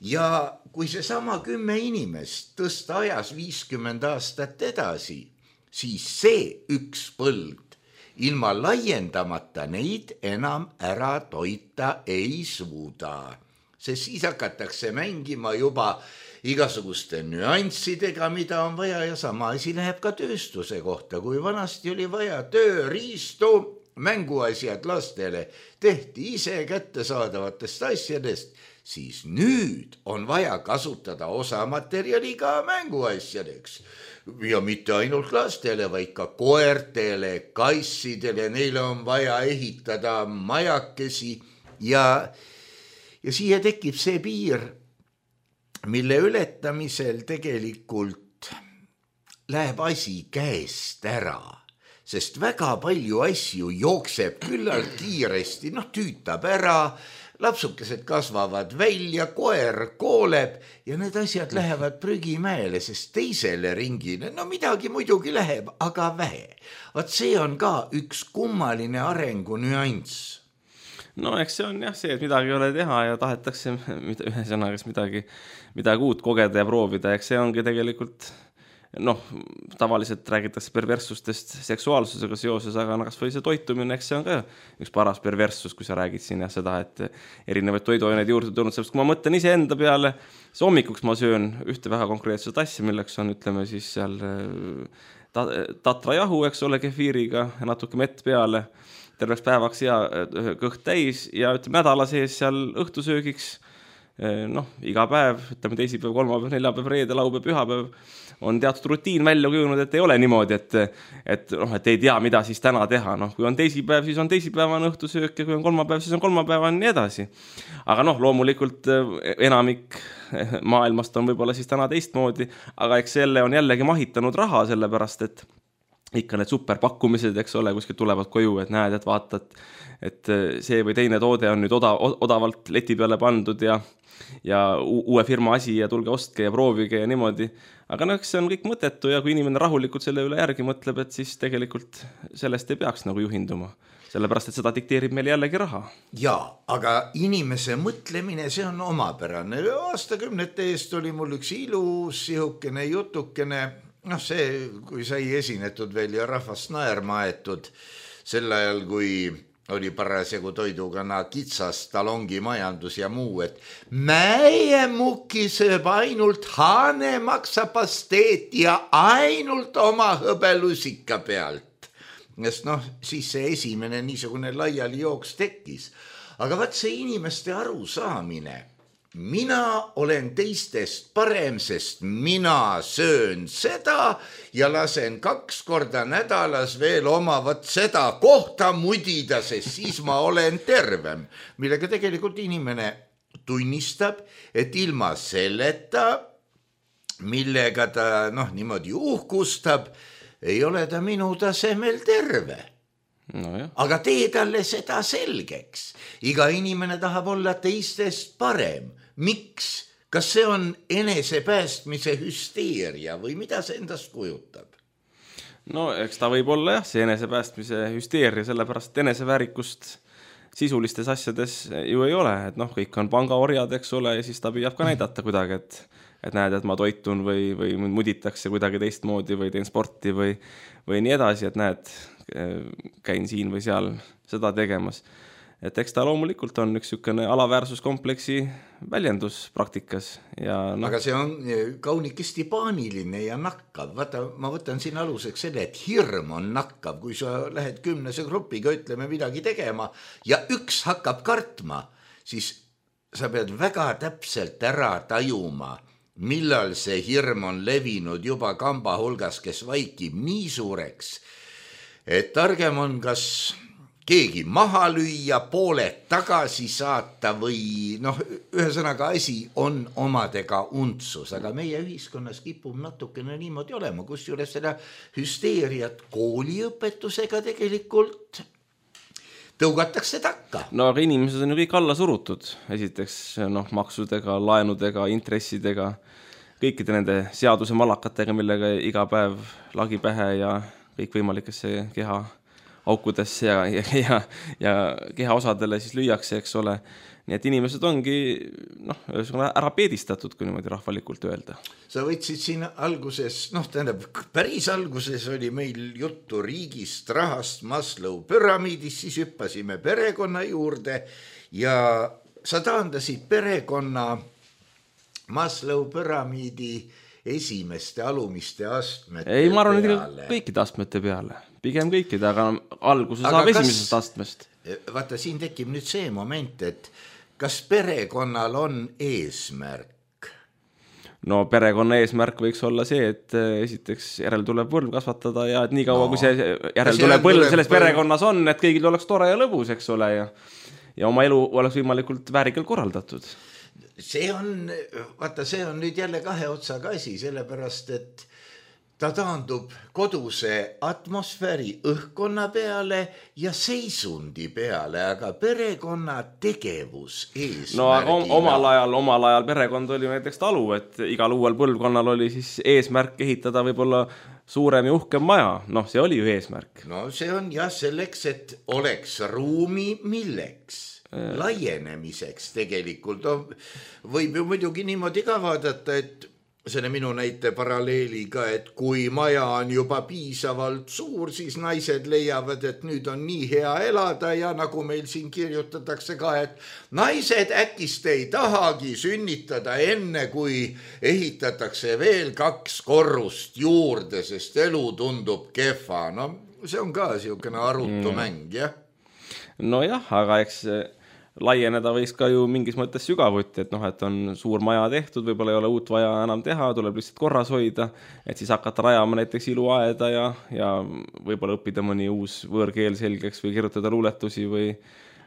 ja kui see sama kümme inimest tõsta ajas viiskümmend aastat edasi, siis see üks põld ilma laiendamata neid enam ära toita ei suuda. Sest siis hakatakse mängima juba igasuguste nüanssidega, mida on vaja ja sama asi läheb ka tööstuse kohta. Kui vanasti oli vaja tööriistu, mänguasjad lastele tehti ise kättesaadavatest asjadest, siis nüüd on vaja kasutada osamaterjali ka mänguasjadeks. Ja mitte ainult lastele, vaid ka koertele, kassidele, neile on vaja ehitada majakesi ja Ja siia tekib see piir, mille ületamisel tegelikult läheb asi käest ära, sest väga palju asju jookseb küllalt kiiresti, noh tüütab ära, lapsukesed kasvavad välja, koer kooleb ja need asjad lähevad prügimäele, sest teisele ringile, no midagi muidugi läheb, aga vähe. Vaat see on ka üks kummaline arengu nüanss. No eks see on jah see, et midagi ei ole teha ja tahetakse ühe sõnaga midagi, midagi uut kogeda ja proovida. Eks see ongi tegelikult, noh, tavaliselt räägitakse perverssustest seksuaalsusega seoses, aga kas või see toitumine, eks see on ka üks paras perverssus, kui sa räägid siin ja seda, et erinevaid toiduaineid juurde tulnud, sest kui ma mõtlen ise enda peale, see hommikuks ma söön ühte väga konkreetset asja, milleks on, ütleme siis seal tatrajahu, eks ole, kefiiriga ja natuke mett peale, terveks päevaks ja kõht täis ja ütleme nädala sees seal õhtusöögiks noh, iga päev, ütleme teisipäev, kolmapäev, neljapäev, reede, laupäev, pühapäev on teatud rutiin välja kujunud, et ei ole niimoodi, et, et, noh, et ei tea, mida siis täna teha. Noh, kui on teisipäev, siis on teisipäevane õhtusöök ja kui on kolmapäev, siis on kolmapäevane ja nii edasi. Aga noh, loomulikult enamik maailmast on võib-olla siis täna teistmoodi, aga eks selle on jällegi mahitanud raha, sellepärast, et ikka need superpakkumised, eks ole, kuskil tulevad koju, et näed, et vaatad, et see või teine toode on nüüd oda, odavalt leti peale pandud ja, ja uue firma asi ja tulge ostke ja proovige ja niimoodi. Aga noh, see on kõik mõttetu ja kui inimene rahulikult selle üle järgi mõtleb, et siis tegelikult sellest ei peaks nagu juhinduma. Sellepärast, et seda dikteerib meil jällegi raha. Jaa, aga inimese mõtlemine, see on omapärane. Aastakümnete eest oli mul üks ilus sihukene jutukene, noh see, kui sai esinetud veel ja rahvast naerma aetud sel ajal, kui oli parasjagu toidukana kitsas talongi majandus ja muu, et mäe muki sööb ainult haanemaksapasteet ja ainult oma hõbelusika pealt. Sest noh, siis see esimene niisugune laiali jooks tekkis. Aga vaat see inimeste arusaamine, mina olen teistest parem, sest mina söön seda ja lasen kaks korda nädalas veel oma vat seda kohta mudida, sest siis ma olen tervem. Millega tegelikult inimene tunnistab, et ilma selleta, millega ta noh, niimoodi uhkustab, ei ole ta minu tasemel terve. No jah. Aga tee talle seda selgeks. Iga inimene tahab olla teistest parem. Miks? Kas see on enesepäästmise hüsteeria või mida see endast kujutab? No eks ta võib olla jah, see enesepäästmise hüsteeria, sellepärast eneseväärikust sisulistes asjades ju ei ole. Et noh, kõik on pangaorjad, eks ole, ja siis ta püüab ka näidata kuidagi, et, et näed, et ma toitun või, või muditakse kuidagi teistmoodi või teen sporti või, või nii edasi, et näed, käin siin või seal seda tegemas. Et eks ta loomulikult on üks sükene alaväärsuskompleksi väljendus praktikas. Ja no. Aga see on kaunikesti paaniline ja nakkav. Vaata, ma võtan siin aluseks selle, et hirm on nakkav. Kui sa lähed kümnese grupiga, ütleme midagi tegema ja üks hakkab kartma, siis sa pead väga täpselt ära tajuma, millal see hirm on levinud juba kamba hulgas, kes vaikib nii suureks, et targem on kas keegi maha lüüa, pooled tagasi saata või noh, ühesõnaga asi on omadega untsus, aga meie ühiskonnas kipub natukene niimoodi olema, kus juures seda hüsteeriat kooliõpetusega tegelikult tõugatakse takka. No aga inimesed on ju kõik alla surutud, esiteks noh, maksudega, laenudega, intressidega, kõikide nende seaduse malakatega, millega iga päev lagi pähe ja kõik võimalikesse keha aukudesse ja, ja, ja, ja keha osadele siis lüüakse, eks ole. Nii et inimesed ongi noh, ära peedistatud, kui niimoodi rahvalikult öelda. Sa võtsid siin alguses, noh tähendab, päris alguses oli meil juttu riigist, rahast, Maslow püramiidist, siis hüppasime perekonna juurde ja sa taandasid perekonna Maslow püramiidi esimeste alumiste astmete peale. Ei, ma arvan, et kõikide astmete peale. Pigem kõikide, aga alguse aga saab kas, esimesest astmest. Vaata, siin tekib nüüd see moment, et kas perekonnal on eesmärk? No perekonna eesmärk võiks olla see, et esiteks järel tuleb põlv kasvatada ja et nii kaua, no, kui see järel tuleb põlv selles põlv... perekonnas on, et kõigil oleks tore ja lõbus, eks ole, ja, ja oma elu oleks võimalikult väärikalt korraldatud. See on, vaata, see on nüüd jälle kahe otsaga asi, sellepärast, et ta taandub koduse atmosfääri õhkkonna peale ja seisundi peale, aga perekonna tegevus eesmärgina. No aga omal ajal, omal ajal perekond oli näiteks talu, et igal uuel põlvkonnal oli siis eesmärk ehitada võib-olla suurem ja uhkem maja. Noh, see oli ju eesmärk. No see on jah selleks, et oleks ruumi milleks. Laienemiseks tegelikult. Võib ju muidugi niimoodi ka vaadata, et selle minu näite paralleeliga, et kui maja on juba piisavalt suur, siis naised leiavad, et nüüd on nii hea elada ja nagu meil siin kirjutatakse ka, et naised äkist ei tahagi sünnitada enne, kui ehitatakse veel kaks korrust juurde, sest elu tundub kehva. No see on ka siukene arutu mäng, jah? No jah, aga eks laieneda võiks ka ju mingis mõttes sügavuti, et noh, et on suur maja tehtud, võib-olla ei ole uut vaja enam teha, tuleb lihtsalt korras hoida, et siis hakata rajama näiteks iluaeda ja, ja võib-olla õppida mõni uus võõrkeel selgeks või kirjutada luuletusi või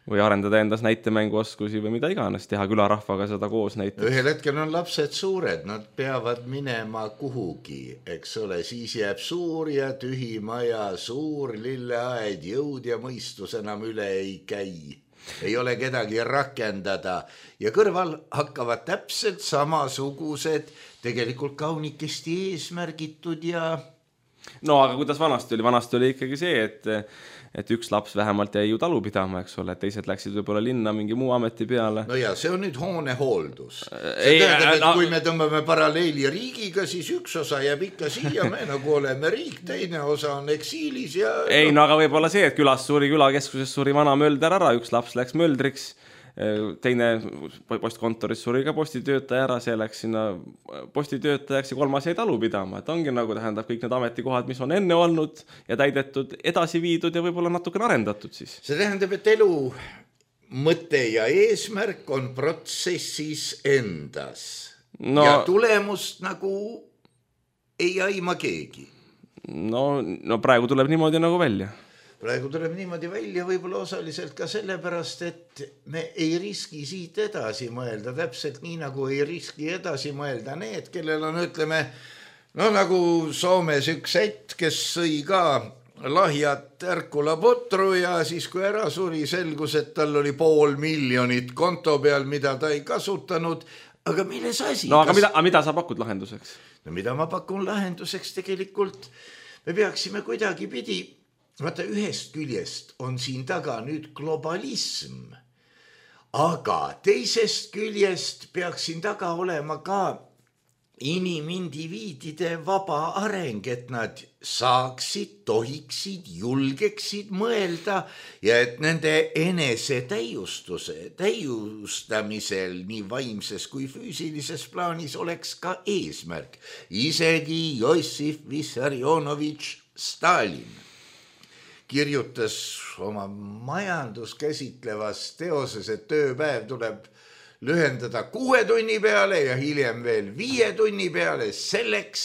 või arendada endas näitemänguoskusi või mida iganes, teha külarahvaga seda koos näiteks. Ühel hetkel on lapsed suured, nad peavad minema kuhugi, eks ole, siis jääb suur ja tühi maja, suur lilleaed, jõud ja mõistus enam üle ei käi. Ei ole kedagi rakendada ja kõrval hakkavad täpselt samasugused, tegelikult kaunikesti eesmärgitud ja... No aga kuidas vanasti oli? Vanasti oli ikkagi see, et et üks laps vähemalt jäi ju talu pidama, eks ole, et teised läksid võib-olla linna mingi muu ameti peale. No ja see on nüüd hoonehooldus. See tähendab, et no... kui me tõmbame paralleeli riigiga, siis üks osa jääb ikka siia, me nagu oleme riik, teine osa on eksiilis ja... Ei, no aga võib-olla see, et külas suri, külakeskuses suri vana mölder ära, üks laps läks möldriks, teine postkontoris suri ka postitöötaja ära, see läks sinna postitöötajaks ja kolmas jäi talu pidama, et ongi nagu tähendab kõik need ametikohad, mis on enne olnud ja täidetud, edasi viidud ja võib-olla natukene arendatud siis. See tähendab, et elu mõte ja eesmärk on protsessis endas no, ja tulemust nagu ei aima keegi. No, no praegu tuleb niimoodi nagu välja. Praegu tuleb niimoodi välja võib-olla osaliselt ka sellepärast, et me ei riski siit edasi mõelda, täpselt nii nagu ei riski edasi mõelda need, kellel on, ütleme, no nagu Soomes üks ätt, kes sõi ka lahjat ärkula potru ja siis kui ära suri, selgus, et tal oli pool miljonit konto peal, mida ta ei kasutanud, aga milles asi? No aga Kas... mida, mida sa pakud lahenduseks? No mida ma pakun lahenduseks tegelikult? Me peaksime kuidagi pidi... Vaata, ühest küljest on siin taga nüüd globalism, aga teisest küljest peaks siin taga olema ka inimindiviidide vaba areng, et nad saaksid, tohiksid, julgeksid mõelda ja et nende enese täiustuse, täiustamisel nii vaimses kui füüsilises plaanis oleks ka eesmärk. Isegi Jossif Vissarionovitš Stalin kirjutas oma majanduskäsitlevas teoses, et tööpäev tuleb lühendada kuue tunni peale ja hiljem veel viie tunni peale selleks,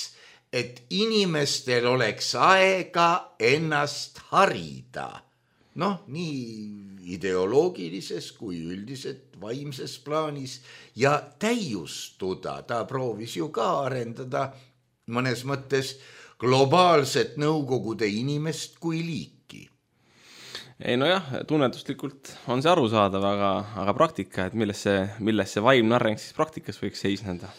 et inimestel oleks aega ennast harida. Noh, nii ideoloogilises kui üldiselt vaimses plaanis ja täiustuda. Ta proovis ju ka arendada mõnes mõttes globaalset nõukogude inimest kui liik. Ei no jah, tunnetuslikult on see arusaadav, aga, aga praktika, et milles see, milles see vaimne areng siis praktikas võiks seisneda?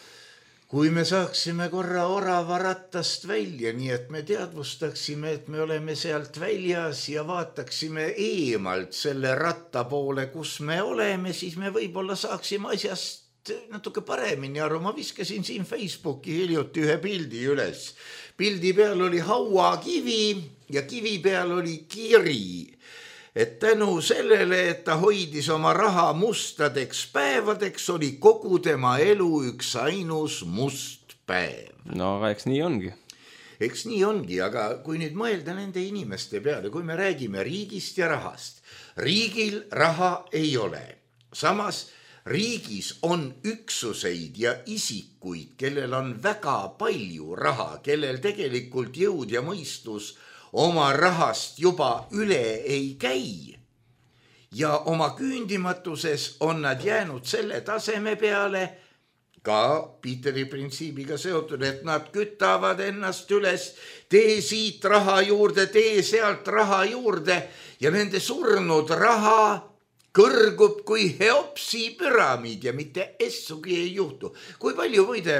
Kui me saaksime korra orava rattast välja, nii et me teadvustaksime, et me oleme sealt väljas ja vaataksime eemalt selle ratta poole, kus me oleme, siis me võib-olla saaksime asjast natuke paremini aru. Ma viskasin siin Facebooki hiljuti ühe pildi üles. Pildi peal oli hauakivi ja kivi peal oli kiri. Et tänu sellele, et ta hoidis oma raha mustadeks päevadeks, oli kogu tema elu üks ainus must päev. No aga eks nii ongi. Eks nii ongi, aga kui nüüd mõelda nende inimeste peale, kui me räägime riigist ja rahast, riigil raha ei ole. Samas riigis on üksuseid ja isikuid, kellel on väga palju raha, kellel tegelikult jõud ja mõistus oma rahast juba üle ei käi ja oma küündimatuses on nad jäänud selle taseme peale ka Peteri printsiibiga seotud, et nad kütavad ennast üles, tee siit raha juurde, tee sealt raha juurde ja nende surnud raha kõrgub kui Heopsi püramiid ja mitte essugi ei juhtu. Kui palju võide,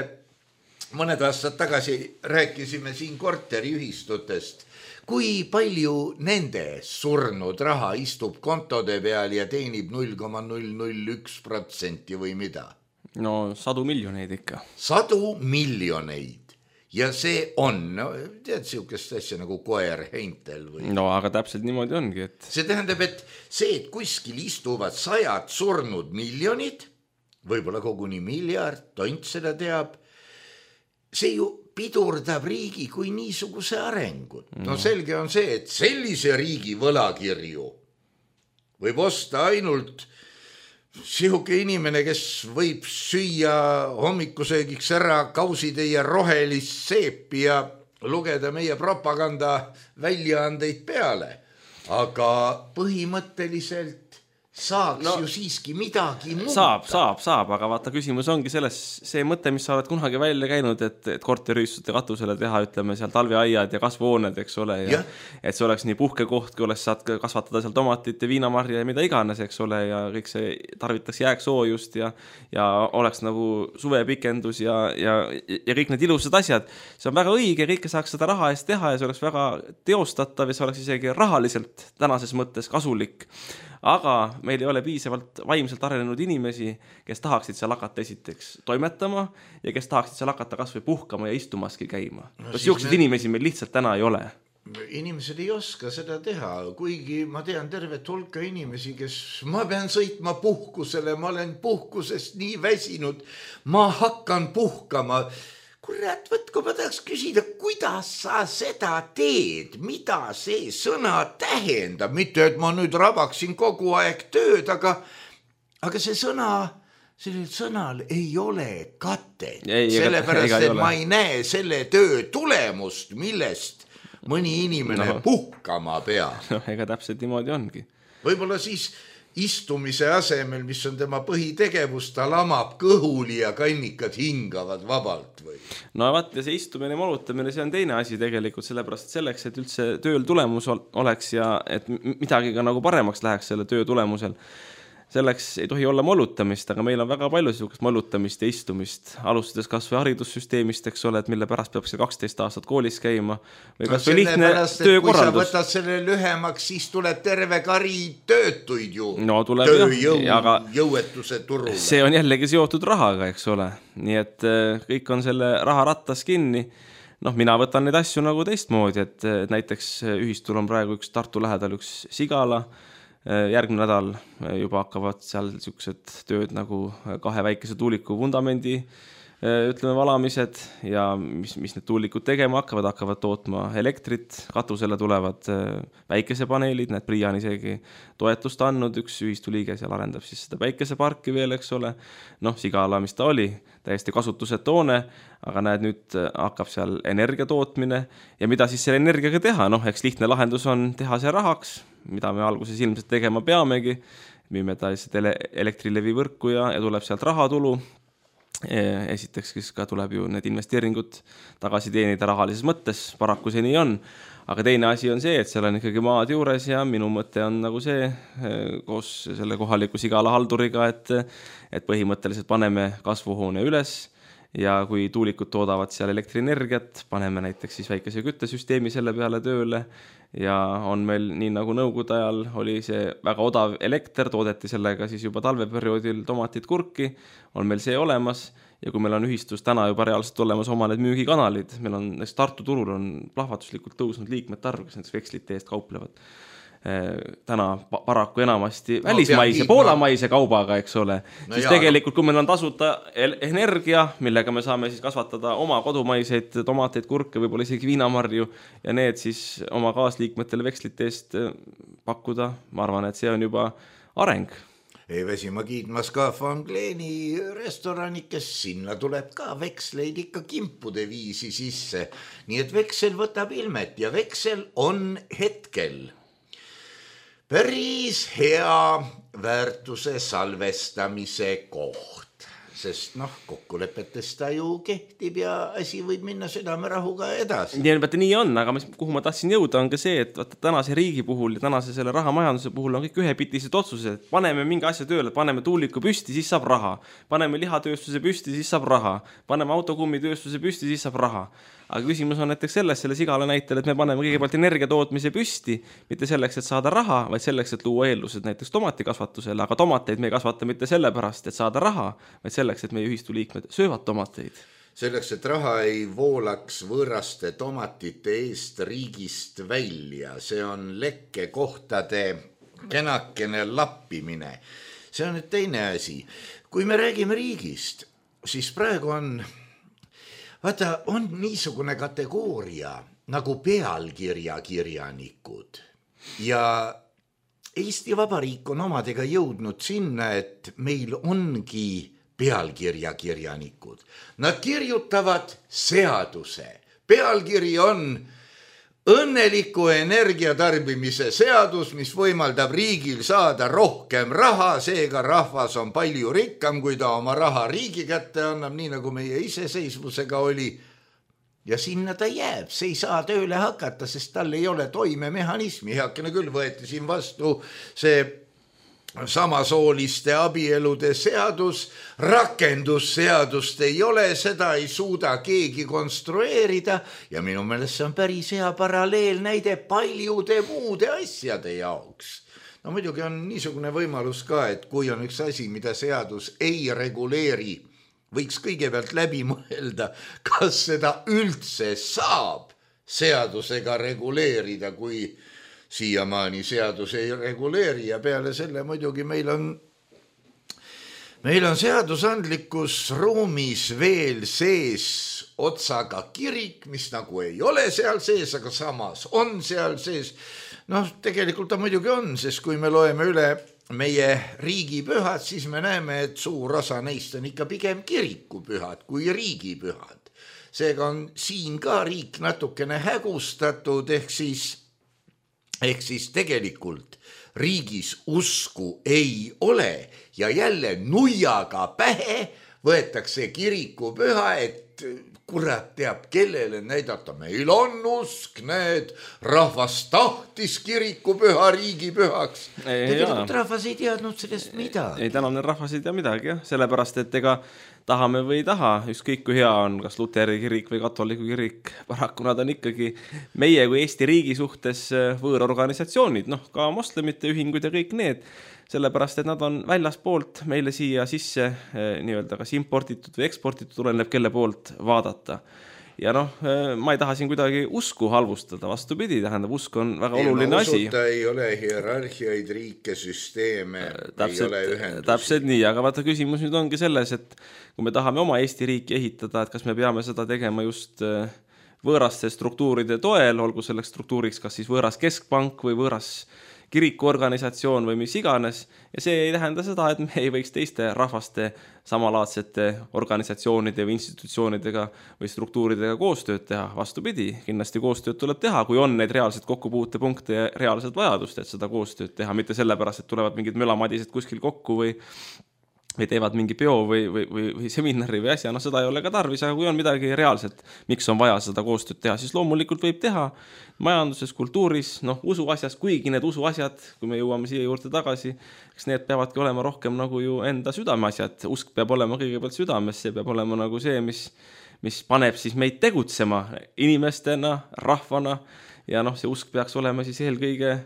mõned aastad tagasi rääkisime siin korteriühistutest, kui palju nende surnud raha istub kontode peal ja teenib null koma null null üks protsenti või mida? No sadu miljoneid ikka. Sadu miljoneid. Ja see on, no, tead siukest asja nagu koer heintel või? No aga täpselt niimoodi ongi, et... See tähendab, et see, et kuskil istuvad sajad surnud miljonid, võib-olla koguni miljard, tont seda teab, see ju pidurdab riigi kui niisuguse arengut. No selge on see, et sellise riigi võlakirju võib osta ainult sihuke inimene, kes võib süüa hommikusöögiks ära kausitäie rohelist seepi ja lugeda meie propaganda väljaandeid peale. Aga põhimõtteliselt saaks no, ju siiski midagi muuta. Saab, saab, saab, aga vaata küsimus ongi selles, see mõte, mis sa oled kunagi välja käinud, et, et korteriühistute katusele teha, ütleme seal talveaiad ja kasvuhooned, eks ole, ja, ja. et see oleks nii puhkekoht, kui oleks saad kasvatada seal tomatit ja viinamarja ja mida iganes, eks ole, ja kõik see tarvitaks jääksoojust ja, ja oleks nagu suvepikendus ja, ja, ja kõik need ilusad asjad. See on väga õige, kõike saaks seda raha eest teha ja see oleks väga teostatav ja see oleks isegi rahaliselt tänases mõttes kasulik. Aga meil ei ole piisavalt vaimselt arenenud inimesi, kes tahaksid seal hakata esiteks toimetama ja kes tahaksid seal hakata kas või puhkama ja istumaski käima. No, Siukseid me... inimesi meil lihtsalt täna ei ole. Inimesed ei oska seda teha, kuigi ma tean tervet hulka inimesi, kes ma pean sõitma puhkusele, ma olen puhkusest nii väsinud, ma hakkan puhkama. Kurat, võt, kui ma tahaks küsida, kuidas sa seda teed, mida see sõna tähendab, mitte et ma nüüd rabaksin kogu aeg tööd, aga, aga see sõna, sellel sõnal ei ole katet, sellepärast, et ma ei näe selle töö tulemust, millest mõni inimene no. puhkama peab. No, ega täpselt niimoodi ongi. Võib-olla siis istumise asemel, mis on tema põhitegevus, ta lamab kõhuli ja kannikad hingavad vabalt või? No vaat, ja see istumine ja molutamine, see on teine asi tegelikult, sellepärast selleks, et üldse tööl tulemus oleks ja et midagi ka nagu paremaks läheks selle töö tulemusel. Selleks ei tohi olla molutamist, aga meil on väga palju sellist molutamist ja istumist, alustades kas või haridussüsteemist, eks ole, et mille pärast peab see kaksteist aastat koolis käima või kas või lihtne töökorraldus. Kui sa võtad selle lühemaks, siis tuleb terve kari töötuid ju no, tuleb, tööjõu, aga jõuetuse turule. See on jällegi seotud rahaga, eks ole. Nii et kõik on selle raha rattas kinni. Noh, mina võtan neid asju nagu teistmoodi, et näiteks ühistul on praegu üks Tartu lähedal üks Sigala. Järgmine nädal juba hakkavad seal siuksed tööd nagu kahe väikese tuuliku vundamendi ütleme valamised ja mis, mis need tuulikud tegema hakkavad, hakkavad tootma elektrit, katusele tulevad päikesepaneelid, need Priia on isegi toetust andnud, üks ühistuliige seal arendab siis seda päikeseparki veel, eks ole. Noh, Sigala, mis ta oli, täiesti kasutused toone, aga näed, nüüd hakkab seal energia tootmine ja mida siis selle energiaga teha? Noh, eks lihtne lahendus on teha see rahaks, mida me alguses ilmselt tegema peamegi, müüme ta elektrilevi võrku ja, ja tuleb sealt rahatulu. Esiteks, kes ka tuleb ju need investeeringud tagasi teenida rahalises mõttes, paraku see nii on. Aga teine asi on see, et seal on ikkagi maad juures ja minu mõte on nagu see koos selle kohaliku Sigala halduriga, et, et põhimõtteliselt paneme kasvuhoone üles ja kui tuulikud toodavad seal elektrienergiat, paneme näiteks siis väikese küttesüsteemi selle peale tööle ja on meil nii nagu nõukogude ajal oli see väga odav elekter, toodeti sellega siis juba talveperioodil tomatit kurki, on meil see olemas ja kui meil on ühistus täna juba reaalselt olemas oma need müügikanalid, meil on näiteks Tartu turul on plahvatuslikult tõusnud liikmete arv, kes näiteks vekslite eest kauplevad. Täna paraku enamasti välismaise, poolamaise kaubaga, eks ole, no siis jaa, tegelikult, kui meil on tasuta energia, millega me saame siis kasvatada oma kodumaiseid tomateid, kurke, võib-olla isegi viinamarju ja need siis oma kaasliikmetele vekslite eest pakkuda, ma arvan, et see on juba areng. Ei väsi ma kiitmas ka Fangleeni restorani, kes sinna tuleb ka veksleid ikka kimpude viisi sisse, nii et veksel võtab ilmet ja veksel on hetkel päris hea väärtuse salvestamise koht, sest noh, kokkulepetest ta ju kehtib ja asi võib minna südamerahuga edasi. Ja nii on, aga mis, kuhu ma tahtsin jõuda on ka see, et vaata, tänase riigi puhul ja tänase selle rahamajanduse puhul on kõik ühepitised otsused. Paneme mingi asja tööle, paneme tuuliku püsti, siis saab raha. Paneme lihatööstuse püsti, siis saab raha. Paneme autokummitööstuse püsti, siis saab raha. Aga küsimus on näiteks selles, selle Sigala näitel, et me paneme kõigepealt energiatootmise püsti, mitte selleks, et saada raha, vaid selleks, et luua eeldused näiteks tomatikasvatusele, aga tomateid me ei kasvata mitte sellepärast, et saada raha, vaid selleks, et meie ühistuliikmed söövad tomateid. Selleks, et raha ei voolaks võõraste tomatite eest riigist välja, see on lekkekohtade kenakene lappimine. See on nüüd teine asi. Kui me räägime riigist, siis praegu on vaata, on niisugune kategooria nagu pealkirjakirjanikud ja Eesti Vabariik on omadega jõudnud sinna, et meil ongi pealkirjakirjanikud. Nad kirjutavad seaduse. Pealkiri on õnneliku energiatarbimise seadus, mis võimaldab riigil saada rohkem raha, seega rahvas on palju rikkam, kui ta oma raha riigi kätte annab, nii nagu meie iseseisvusega oli. Ja sinna ta jääb, see ei saa tööle hakata, sest tal ei ole toimemehhanismi. Heakene küll võeti siin vastu see samasooliste abielude seadus, rakendusseadust ei ole, seda ei suuda keegi konstrueerida ja minu meelest see on päris hea paralleelnäide paljude muude asjade jaoks. No muidugi on niisugune võimalus ka, et kui on üks asi, mida seadus ei reguleeri, võiks kõigepealt läbi mõelda, kas seda üldse saab seadusega reguleerida, kui siiamaani seadus ei reguleeri ja peale selle muidugi meil on, meil on seadusandlikus ruumis veel sees otsaga kirik, mis nagu ei ole seal sees, aga samas on seal sees. Noh, tegelikult ta muidugi on, sest kui me loeme üle meie riigipühad, siis me näeme, et suur osa neist on ikka pigem kirikupühad kui riigipühad. Seega on siin ka riik natukene hägustatud, ehk siis Ehk siis tegelikult riigis usku ei ole ja jälle nuiaga pähe võetakse kirikupüha, et kurat teab, kellele näidata. Meil on usk, need rahvas tahtis kirikupüha riigipühaks. Tegelikult rahvas ei teadnud sellest midagi. Ei, tänane rahvas ei tea midagi, jah. Sellepärast, et ega tahame või ei taha, ükskõik kui hea on, kas Luteri kirik või katoliku kirik, paraku nad on ikkagi meie kui Eesti riigi suhtes võõrorganisatsioonid, noh, ka moslemite ühingud ja kõik need, sellepärast, et nad on väljaspoolt meile siia sisse nii-öelda kas importitud või eksportitud, tuleneb kelle poolt vaadata. Ja noh, ma ei taha siin kuidagi usku halvustada, vastupidi, tähendab, usk on väga ei, oluline asi. Usuta ei ole hierarhiaid, riike, süsteeme, täpselt, ei ole ühendusi. Täpselt nii, aga vaata küsimus nüüd ongi selles, et kui me tahame oma Eesti riiki ehitada, et kas me peame seda tegema just võõraste struktuuride toel, olgu selleks struktuuriks kas siis võõras keskpank või võõras kirikuorganisatsioon või mis iganes, ja see ei tähenda seda, et me ei võiks teiste rahvaste samalaadsete organisatsioonide või institutsioonidega või struktuuridega koostööd teha. Vastupidi, kindlasti koostööd tuleb teha, kui on neid reaalseid kokkupuutepunkte ja reaalset vajadust, et seda koostööd teha, mitte sellepärast, et tulevad mingid mölamadised kuskil kokku või või teevad mingi peo või, või, või, või seminari või asja, no seda ei ole ka tarvis, aga kui on midagi reaalselt, miks on vaja seda koostööd teha, siis loomulikult võib teha majanduses, kultuuris, noh, usuasjas, kuigi need usuasjad, kui me jõuame siia juurde tagasi, eks need peavadki olema rohkem nagu ju enda südameasjad, usk peab olema kõigepealt südames, see peab olema nagu see, mis, mis paneb siis meid tegutsema inimestena, rahvana ja noh, see usk peaks olema siis eelkõige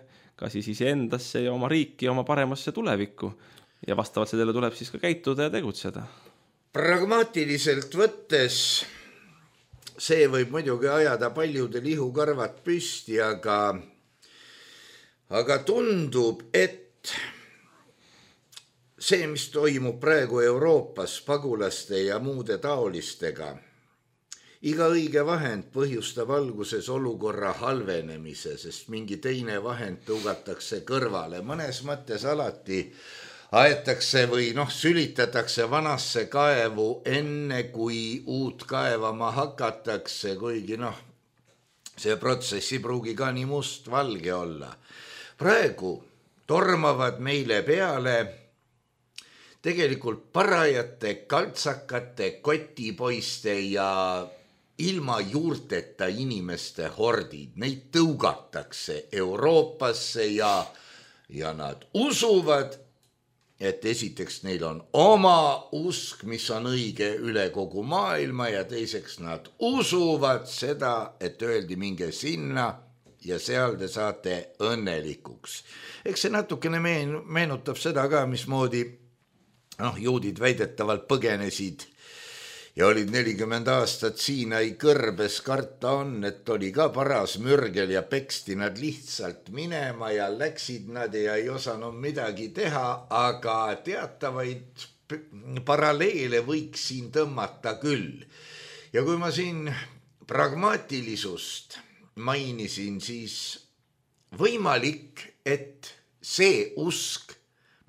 ka siis iseendasse ja oma riiki, oma paremasse tulevikku. Ja vastavalt sellele tuleb siis ka käituda ja tegutseda. Pragmaatiliselt võttes see võib muidugi ajada paljudel ihukarvad püsti, aga, aga tundub, et see, mis toimub praegu Euroopas pagulaste ja muude taolistega, iga õige vahend põhjustab alguses olukorra halvenemise, sest mingi teine vahend tõugatakse kõrvale. Mõnes mõttes alati aetakse või noh, sülitatakse vanasse kaevu enne, kui uut kaevama hakatakse, kuigi noh, see protsess ei pruugi ka nii must valge olla. Praegu tormavad meile peale tegelikult parajate kaltsakate, kotipoiste ja ilma juurteta inimeste hordid. Neid tõugatakse Euroopasse ja, ja nad usuvad, et esiteks neil on oma usk, mis on õige üle kogu maailma ja teiseks nad usuvad seda, et öeldi minge sinna ja seal te saate õnnelikuks. Eks see natukene meenutab seda ka, mismoodi noh, juudid väidetavalt põgenesid ja olid nelikümmend aastat Siinai kõrbes, karta on, et oli ka paras mürgel ja peksti nad lihtsalt minema ja läksid nad ja ei osanud midagi teha, aga teatavaid paralleele võiks siin tõmmata küll. Ja kui ma siin pragmaatilisust mainisin, siis võimalik, et see usk,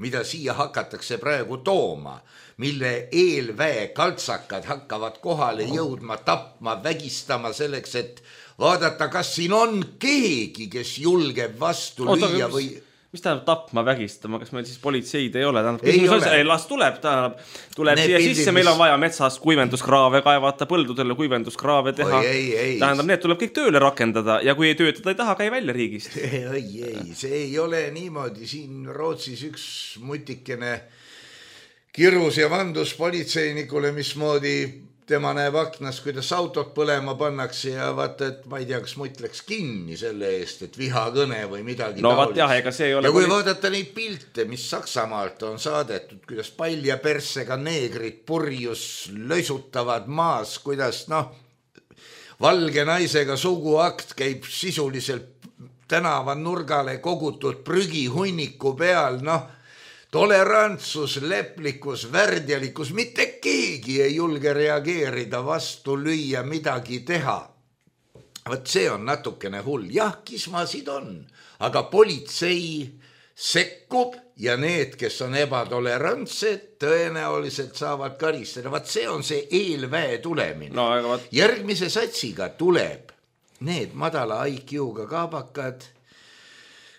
mida siia hakatakse praegu tooma, mille eelväe kaltsakad hakkavad kohale jõudma, tapma, vägistama selleks, et vaadata, kas siin on keegi, kes julgeb vastu Oota, lüüa mis, või... Mis tähendab tapma, vägistama? Kas meil siis politseid ei ole? Tähendab, ei ole. ole. Ei, las tuleb, tähendab, tuleb Need siia pildid, sisse, meil on vaja metsas kuivenduskraave kaevata, põldudele kuivenduskraave teha. Oi, ei, ei. Tähendab, need tuleb kõik tööle rakendada ja kui ei töötada ei taha, käi välja riigist. Ei, ei, see ei ole niimoodi. Siin Rootsis üks mutikene kirus ja vandus politseinikule, mismoodi tema näeb aknas, kuidas autot põlema pannakse ja vaata, et ma ei tea, kas mutt läks kinni selle eest, et vihakõne või midagi no, taolist. Jah, ega see ei ole ja kui poli... vaadata neid pilte, mis Saksamaalt on saadetud, kuidas palja persega neegrid purjus löisutavad maas, kuidas noh, valge naisega suguakt käib sisuliselt tänava nurgale kogutud prügihunniku peal, noh, tolerantsus, leplikkus, värdjalikkus, mitte keegi ei julge reageerida, vastu lüüa, midagi teha. Võt see on natukene hull. Jah, kismasid on, aga politsei sekkub ja need, kes on ebatolerantsed, tõenäoliselt saavad karistada. Võt see on see eelväe tulemine. No, aga... Järgmise satsiga tuleb need madala I Q-ga kaabakad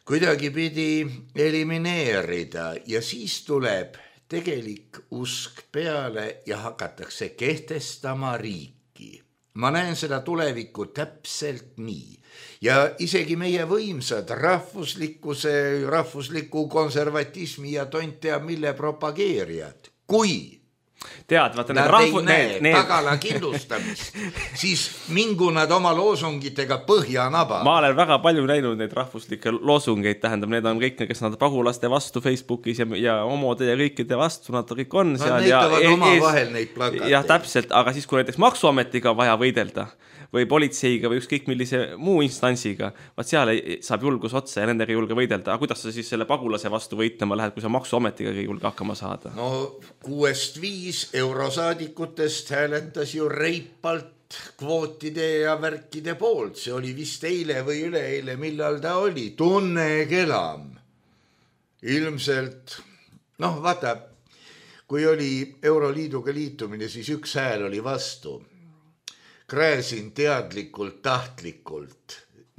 kuidagi pidi elimineerida ja siis tuleb tegelik usk peale ja hakatakse kehtestama riiki. Ma näen seda tulevikku täpselt nii. Ja isegi meie võimsad rahvuslikkuse, rahvusliku konservatismi ja tont teab mille propageerijad. Kui tead, vaata nad rahvu... ei näe need... tagala kindlustamist, siis mingu nad oma loosungitega põhja naba. Ma olen väga palju näinud neid rahvuslikke loosungeid, tähendab, need on kõik, kes nad pagulaste vastu Facebookis ja, ja omode ja kõikide vastu, nad kõik on seal. Nad näitavad ja oma ees... vahel neid plakateid. Jah, täpselt, aga siis kui näiteks maksuametiga vaja võidelda või politseiga või ükskõik millise muu instantsiga, vaat seal ei, saab julgus otsa ja nendega ei julge võidelda. Aga kuidas sa siis selle pagulase vastu võitlema lähed, kui sa maksuametiga ei julge hakkama saada? No kuuest viis eurosaadikutest hääletas ju reipalt kvootide ja värkide poolt. See oli vist eile või üleeile, millal ta oli. Tunne kelam. Ilmselt, noh vaata, kui oli Euroliiduga liitumine, siis üks hääl oli vastu. Kräsin teadlikult, tahtlikult.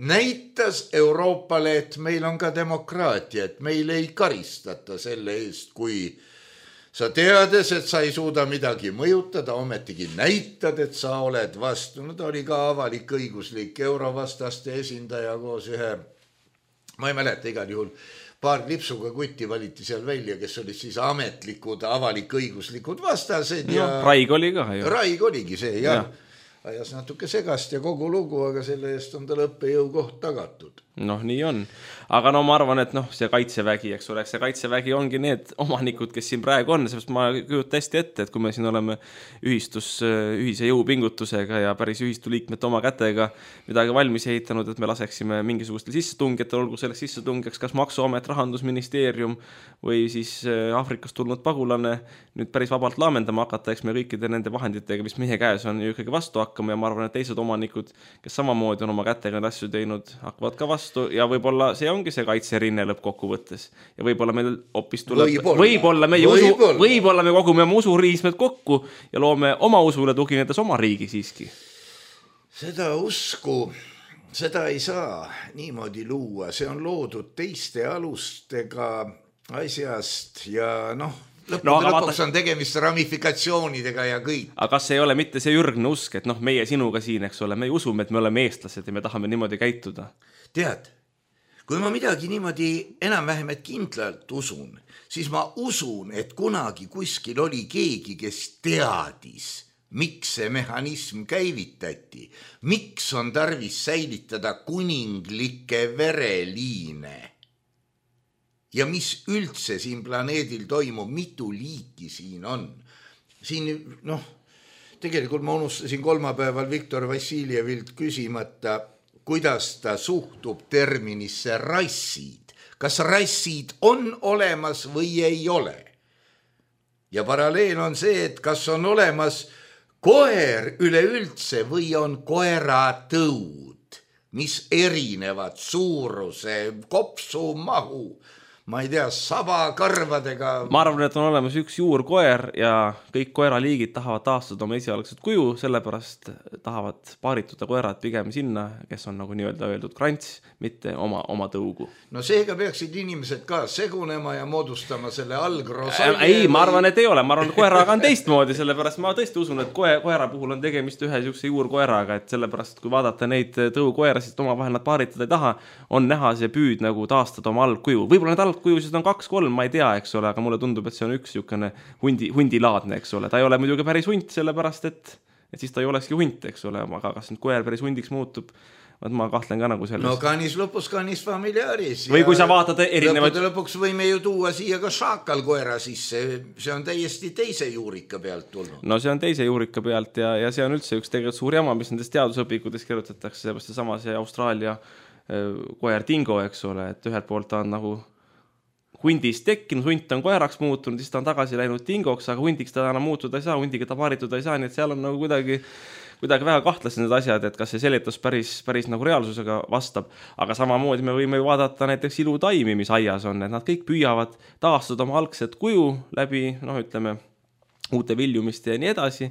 Näitas Euroopale, et meil on ka demokraatia, et meil ei karistata selle eest, kui sa teades, et sa ei suuda midagi mõjutada, ometigi näitad, et sa oled vastu. No ta oli ka avalik õiguslik eurovastaste esindaja koos ühe, ma ei mäleta igal juhul, paar lipsuga kutti valiti seal välja, kes olid siis ametlikud, avalik õiguslikud vastased. Ja no, Raig oli ka ju. Raig oligi see, jah. Ja. Ajas natuke segast ja kogu lugu, aga selle eest on tal õppejõu koht tagatud. Noh, nii on. Aga no ma arvan, et noh, see kaitsevägi, eks ole, see kaitsevägi ongi need omanikud, kes siin praegu on, sest ma kujutan hästi ette, et kui me siin oleme ühistus, ühise jõupingutusega ja päris ühistu liikmete oma kätega midagi valmis ehitanud, et me laseksime mingisugustel sissetungjatel, olgu selleks sissetungjaks kas Maksuamet, Rahandusministeerium või siis Aafrikast tulnud pagulane nüüd päris vabalt laamendama hakata, eks me kõikide nende vahenditega, mis meie käes on, ju ikkagi vastu hakkama ja ma arvan, et teised omanikud, kes samamoodi on oma kätega need asju teinud, hakkavad ka vastu ja võib-olla see ongi see kaitserinne lõppkokkuvõttes ja võib-olla meil hoopis tuleb võib-olla, võib-olla meie usu, võib-olla. võib-olla me kogume oma usuriismed kokku ja loome oma usule tuginedes oma riigi siiski. Seda usku, seda ei saa niimoodi luua, see on loodud teiste alustega asjast ja noh, lõppude no, lõpuks vaata... on tegemist ramifikatsioonidega ja kõik. Aga kas ei ole mitte see ürgne usk, et noh, meie sinuga siin, eks ole, me usume, et me oleme eestlased ja me tahame niimoodi käituda? Tead, kui ma midagi niimoodi enam-vähem et kindlalt usun, siis ma usun, et kunagi kuskil oli keegi, kes teadis, miks see mehhanism käivitati, miks on tarvis säilitada kuninglikke vereliine. Ja mis üldse siin planeedil toimub, mitu liiki siin on. Siin, noh, tegelikult ma unustasin kolmapäeval Viktor Vassiljevilt küsimata, kuidas ta suhtub terminisse rassid. Kas rassid on olemas või ei ole? Ja paralleel on see, et kas on olemas koer üleüldse või on koeratõud, mis erinevad suuruse, kopsu, mahu. ma ei tea, sabakarvadega. Ma arvan, et on olemas üks juurkoer ja kõik koeraliigid tahavad taastada oma esialgset kuju, sellepärast tahavad paarituda koerad pigem sinna, kes on nagu nii-öelda öeldud krants, mitte oma, oma tõugu. No seega peaksid inimesed ka segunema ja moodustama selle algrosalje. Ei, ma arvan, et ei ole. Ma arvan, et koeraga on teistmoodi, sellepärast ma tõesti usun, et koe, koera puhul on tegemist ühe siukse juurkoeraga, et sellepärast kui vaadata neid tõukoerasid, oma vahel nad paaritada ei taha, on näha see püüd nagu taastada oma algkuju. Võib-olla need algkujusid on kaks kolm, ma ei tea, eks ole, aga mulle tundub, et see on üks niisugune hundi, hundilaadne, eks ole. Ta ei ole muidugi päris hunt, sellepärast et, et siis ta ei olekski hunt, eks ole, aga kas nüüd koer päris hundiks muutub, ma kahtlen ka nagu sellest. No canis lupus canis familiaris. Või kui sa vaatad erinevaid... Lõpude lõpuks võime ju tuua siia ka šaakalkoera sisse, see on täiesti teise juurika pealt tulnud. No see on teise juurika pealt ja, ja see on üldse üks tegelikult suur jama, mis nendest teadusõpikutes kirjutatakse, seepärast see sama see Austraalia koer Dingo, eks ole, et ühelt poolt ta on nagu hundist tekkinud, hunt on koeraks muutunud, siis ta on tagasi läinud dingoks, aga hundiks ta enam muutuda ei saa, hundiga ta paarituda ei saa, nii et seal on nagu kuidagi, kuidagi väga kahtlased need asjad, et kas see seletus päris, päris nagu reaalsusega vastab, aga samamoodi me võime vaadata näiteks ilutaimi, mis aias on, et nad kõik püüavad taastada oma algset kuju läbi, noh ütleme, uute viljumiste ja nii edasi,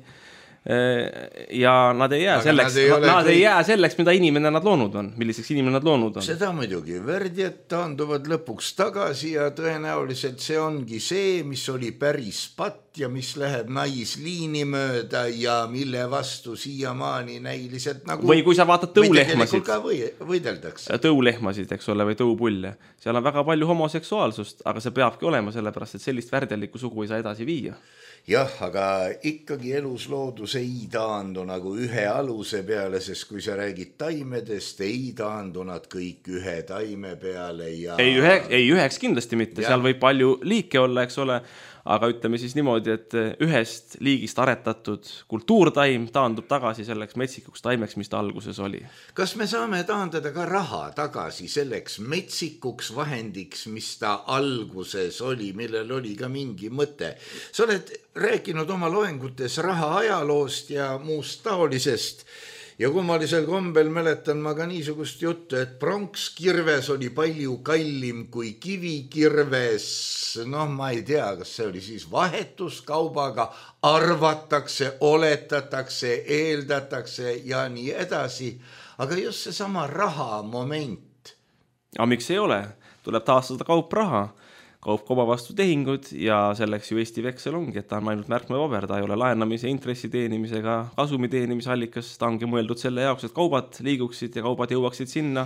ja nad ei jää aga selleks, nad ei, nad ei jää selleks, mida inimene nad loonud on, milliseks inimene nad loonud on. Seda muidugi, värdjad taanduvad lõpuks tagasi ja tõenäoliselt see ongi see, mis oli päris patt ja mis läheb naisliini mööda ja mille vastu siiamaani näiliselt nagu... Või kui sa vaatad tõulehmasid, või, võideldakse. tõulehmasid, eks ole, või tõupulle, seal on väga palju homoseksuaalsust, aga see peabki olema sellepärast, et sellist värdjalikku sugu ei saa edasi viia. Jah, aga ikkagi elusloodus ei taandu nagu ühe aluse peale, sest kui sa räägid taimedest, ei taandu nad kõik ühe taime peale ja... Ei, ühe, ei üheks kindlasti mitte, ja. Seal võib palju liike olla, eks ole, aga ütleme siis niimoodi, et ühest liigist aretatud kultuurtaim taandub tagasi selleks metsikuks taimeks, mis ta alguses oli. Kas me saame taandada ka raha tagasi selleks metsikuks vahendiks, mis ta alguses oli, millel oli ka mingi mõte? Sa oled rääkinud oma loengutes raha ajaloost ja muust taolisest ja kummalisel kombel mäletan ma ka niisugust juttu, et pronkskirves oli palju kallim kui kivikirves. Noh, ma ei tea, kas see oli siis vahetuskaubaga, arvatakse, oletatakse, eeldatakse ja nii edasi. Aga just see sama raha moment. Aga miks ei ole? Tuleb taastada kaupraha. Kaup koba vastu tehingud ja selleks ju Eesti veksel ongi, et ta on ainult märkmepaber, ta ei ole laenamise, intressi teenimisega, kasumi teenimise allikas, ta ongi mõeldud selle jaoks, et kaubad liiguksid ja kaubad jõuaksid sinna,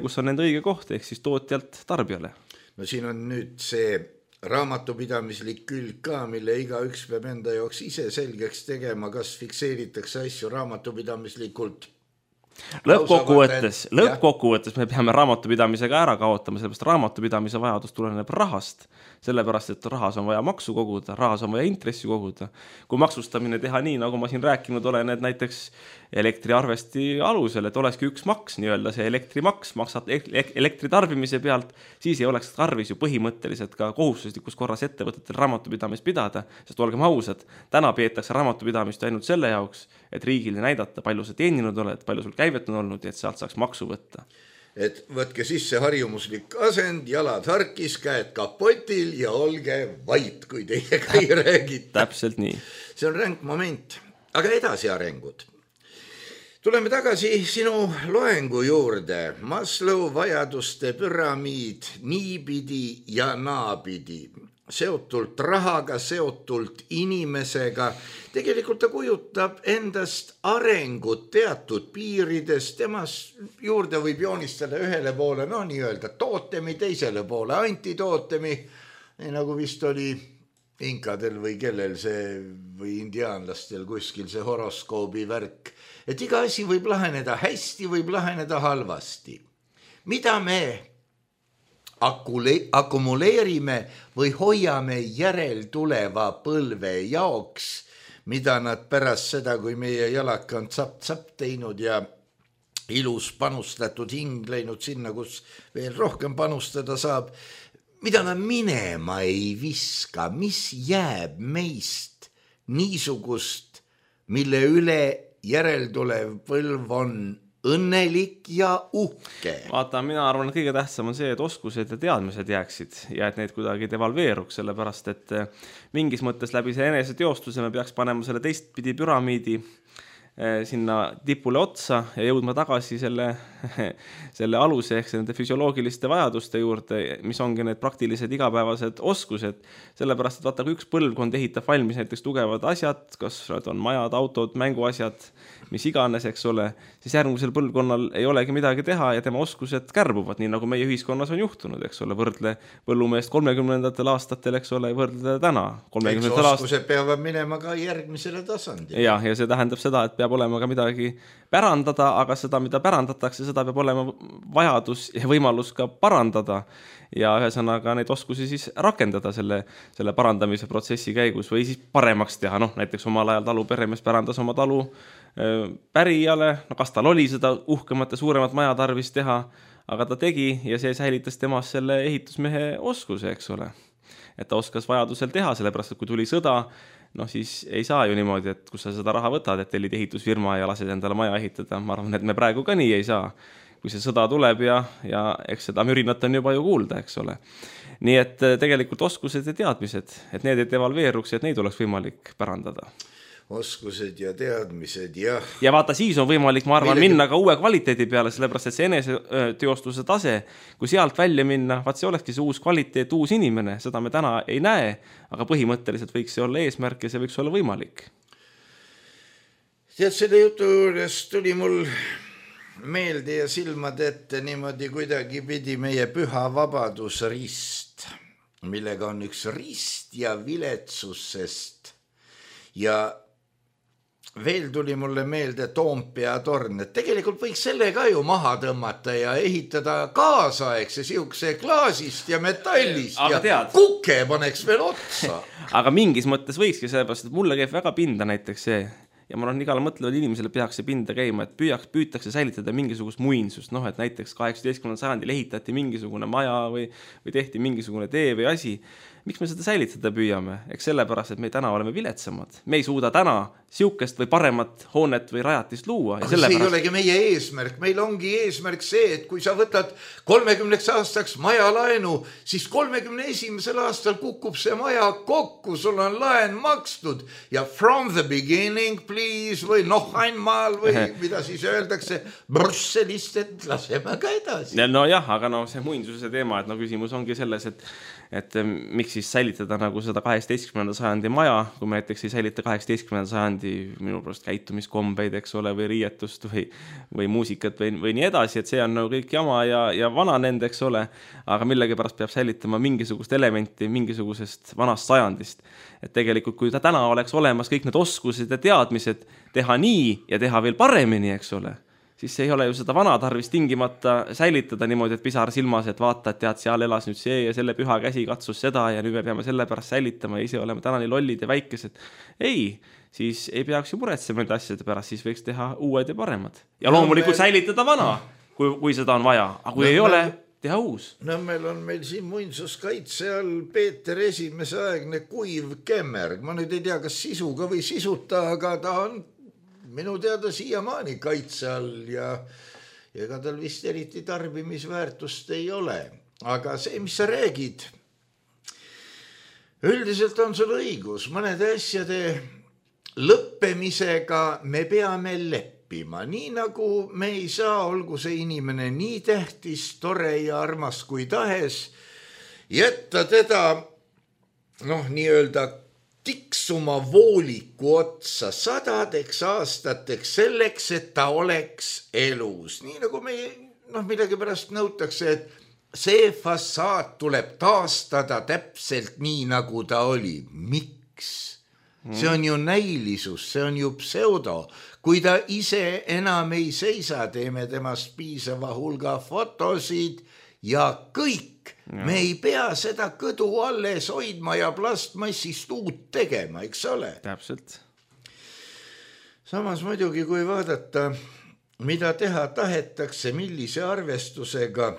kus on nende õige koht, ehk siis tootjalt tarbijale. No siin on nüüd see raamatupidamislik külg ka, mille iga üks peab enda jaoks ise selgeks tegema, kas fikseeritakse asju raamatupidamislikult. Lõppkokkuvõttes, lõppkokkuvõttes me peame raamatupidamisega ära kaotama, sellepärast raamatupidamise vajadus tuleneb rahast, sellepärast, et rahas on vaja maksu koguda, rahas on vaja intressi koguda. Kui maksustamine teha nii, nagu ma siin rääkinud olen, et näiteks elektriarvesti alusel, et olekski üks maks, nii-öelda see elektrimaks, maksad elektritarbimise pealt, siis ei oleks tarvis ju põhimõtteliselt ka kohustuslikus korras ettevõtetel raamatupidamist pidada, sest olgem ausad, täna peetakse raamatupidamist ainult selle jaoks, et riigile näidata, palju sa teeninud oled, palju sul käivet on olnud ja et sealt saaks maksu võtta. Et võtke sisse harjumuslik asend, jalad harkis, käed kapotil ja olge vait, kui teiega ei räägita. Täpselt nii. See on ränk moment, aga edasi arengud. Tuleme tagasi sinu loengu juurde. Maslow vajaduste püramiid niipidi ja naapidi. Seotult rahaga, seotult inimesega. Tegelikult ta kujutab endast arengut teatud piirides. Temas juurde võib joonistada ühele poole, no nii öelda, tootemi teisele poole, antitootemi, nii nagu vist oli inkadel või kellel see, või indiaanlastel kuskil see horoskoobi värk. Et iga asi võib laheneda hästi, võib laheneda halvasti. Mida me Akule, akumuleerime või hoiame järeltuleva põlve jaoks, mida nad pärast seda, kui meie jalaka on tsapp-tsapp teinud ja ilus panustatud hing läinud sinna, kus veel rohkem panustada saab, mida nad minema ei viska, mis jääb meist niisugust, mille üle järeltulev põlv on õnnelik ja uhke. Vaata, mina arvan, et kõige tähtsam on see, et oskused ja teadmised jääksid ja et neid kuidagi devalveeruks, sellepärast et mingis mõttes läbi see eneseteostuse me peaks panema selle teistpidi püramiidi sinna tipule otsa ja jõudma tagasi selle, selle aluse ehk nende füsioloogiliste vajaduste juurde, mis ongi need praktilised igapäevased oskused, sellepärast, et vaata, kui üks põlvkond ehitab valmis näiteks tugevad asjad, kas need on majad, autod, mänguasjad, mis iganes, eks ole, siis järgmisel põlvkonnal ei olegi midagi teha ja tema oskused kärbuvad, nii nagu meie ühiskonnas on juhtunud, eks ole, võrdle põllumeest kolmekümnendatel aastatel, eks ole, võrdle täna. Eks oskused aast... peavad minema ka järgmisele tasandile. Ja, ja see tähendab seda, et peab olema ka midagi pärandada, aga seda, mida pärandatakse, seda peab olema vajadus ja võimalus ka parandada ja ühesõnaga neid oskusi siis rakendada selle, selle parandamise protsessi käigus või siis paremaks teha. Noh, näiteks omal ajal talu peremees pärandas oma talu pärijale, no kas tal oli seda uhkemat ja suuremat maja tarvis teha, aga ta tegi ja see säilitas temas selle ehitusmehe oskuse, eks ole. Et ta oskas vajadusel teha, sellepärast, et kui tuli sõda, noh siis ei saa ju niimoodi, et kus sa seda raha võtad, et tellid ehitusfirma ja lased endale maja ehitada. Ma arvan, et me praegu ka nii ei saa, kui see sõda tuleb ja, ja eks seda mürinat on juba ju kuulda, eks ole. Nii et tegelikult oskused ja teadmised, et need ei devalveeruks, et neid oleks võimalik pärandada. Oskused ja teadmised, jah. Ja vaata, siis on võimalik, ma arvan, Millegi... minna ka uue kvaliteedi peale, sellepärast, et see eneseteostuse tase, kui sealt välja minna, vaat see olekski see uus kvaliteet, uus inimene, seda me täna ei näe, aga põhimõtteliselt võiks see olla eesmärk ja see võiks olla võimalik. Tead, selle jutu juures tuli mul meelde ja silmad ette niimoodi kuidagi pidi meie püha vabadusrist, millega on üks rist ja viletsusest ja veel tuli mulle meelde Toompea torn, et tegelikult võiks selle ka ju maha tõmmata ja ehitada kaasaegse siukse klaasist ja metallist aga ja tead. Kuke paneks veel otsa. Aga mingis mõttes võikski sellepärast, et mulle käib väga pinda näiteks see ja ma olen igale mõtlevad inimesele peaks see pinda käima, et püüaks, püütakse säilitada mingisugust muinsust, noh, et näiteks kaheksateistkümnendal sajandil ehitati mingisugune maja või, või tehti mingisugune tee või asi. Miks me seda säilitada püüame? Eks sellepärast, et me täna oleme viletsamad. Me ei suuda täna siukest või paremat hoonet või rajatist luua. Aga see ei olegi meie eesmärk. Meil ongi eesmärk see, et kui sa võtad kolmekümneks aastaks maja laenu, siis kolmekümne esimesel aastal kukub see maja kokku, sul on laen makstud ja from the beginning, please, või noh einmal või mida siis öeldakse, Brüsselist, et laseme ka edasi. No jah, aga no see muinsuse teema, et no küsimus ongi selles, et et miks siis säilitada nagu seda kaheksateistkümnenda sajandi maja, kui me näiteks ei säilita kaheksateistkümnenda sajandi minu pärast käitumiskombeid, eks ole, või riietust või, või muusikat või, või nii edasi, et see on nagu kõik jama ja, ja vana nende, eks ole, aga millegi pärast peab säilitama mingisugust elementi mingisugusest vanast sajandist. Et tegelikult, kui ta täna oleks olemas kõik need oskused ja teadmised teha nii ja teha veel paremini, eks ole, siis ei ole ju seda vana tarvis tingimata säilitada niimoodi, et pisar silmas, et vaata, et tead, seal elas nüüd see ja selle püha käsi katsus seda ja nüüd me peame selle pärast säilitama ja ise oleme täna nii lollid ja väikesed. Ei, siis ei peaks ju muretsema need asjade pärast, siis võiks teha uued ja paremad. Ja loomulikult säilitada vana, kui, kui seda on vaja, aga kui no, ei ole, teha uus. No meil on meil siin muinsuskaitse all Peeter esimese aegne kuiv kemmerg. Ma nüüd ei tea, kas sisuga või sisuta, aga ta on minu teada siiamaani kaitse all ja ega tal vist eriti tarbimisväärtust ei ole. Aga see, mis sa räägid, üldiselt on sul õigus. Mõnede asjade lõppemisega me peame leppima. Nii nagu me ei saa, olgu see inimene nii tähtis, tore ja armas kui tahes, jätta teda, noh, nii öelda tiksuma vooliku otsa sadadeks aastateks selleks, et ta oleks elus. Nii nagu me, noh, midagi pärast nõutakse, et see fassaad tuleb taastada täpselt nii, nagu ta oli. Miks? See on ju näilisus, see on ju pseudo. Kui ta ise enam ei seisa, teeme temast piisava hulga fotosid ja kõik. Ja. Me ei pea seda kõdu alles hoidma ja plastmassist uut tegema, eks ole? Täpselt. Samas muidugi, kui vaadata, mida teha tahetakse, millise arvestusega,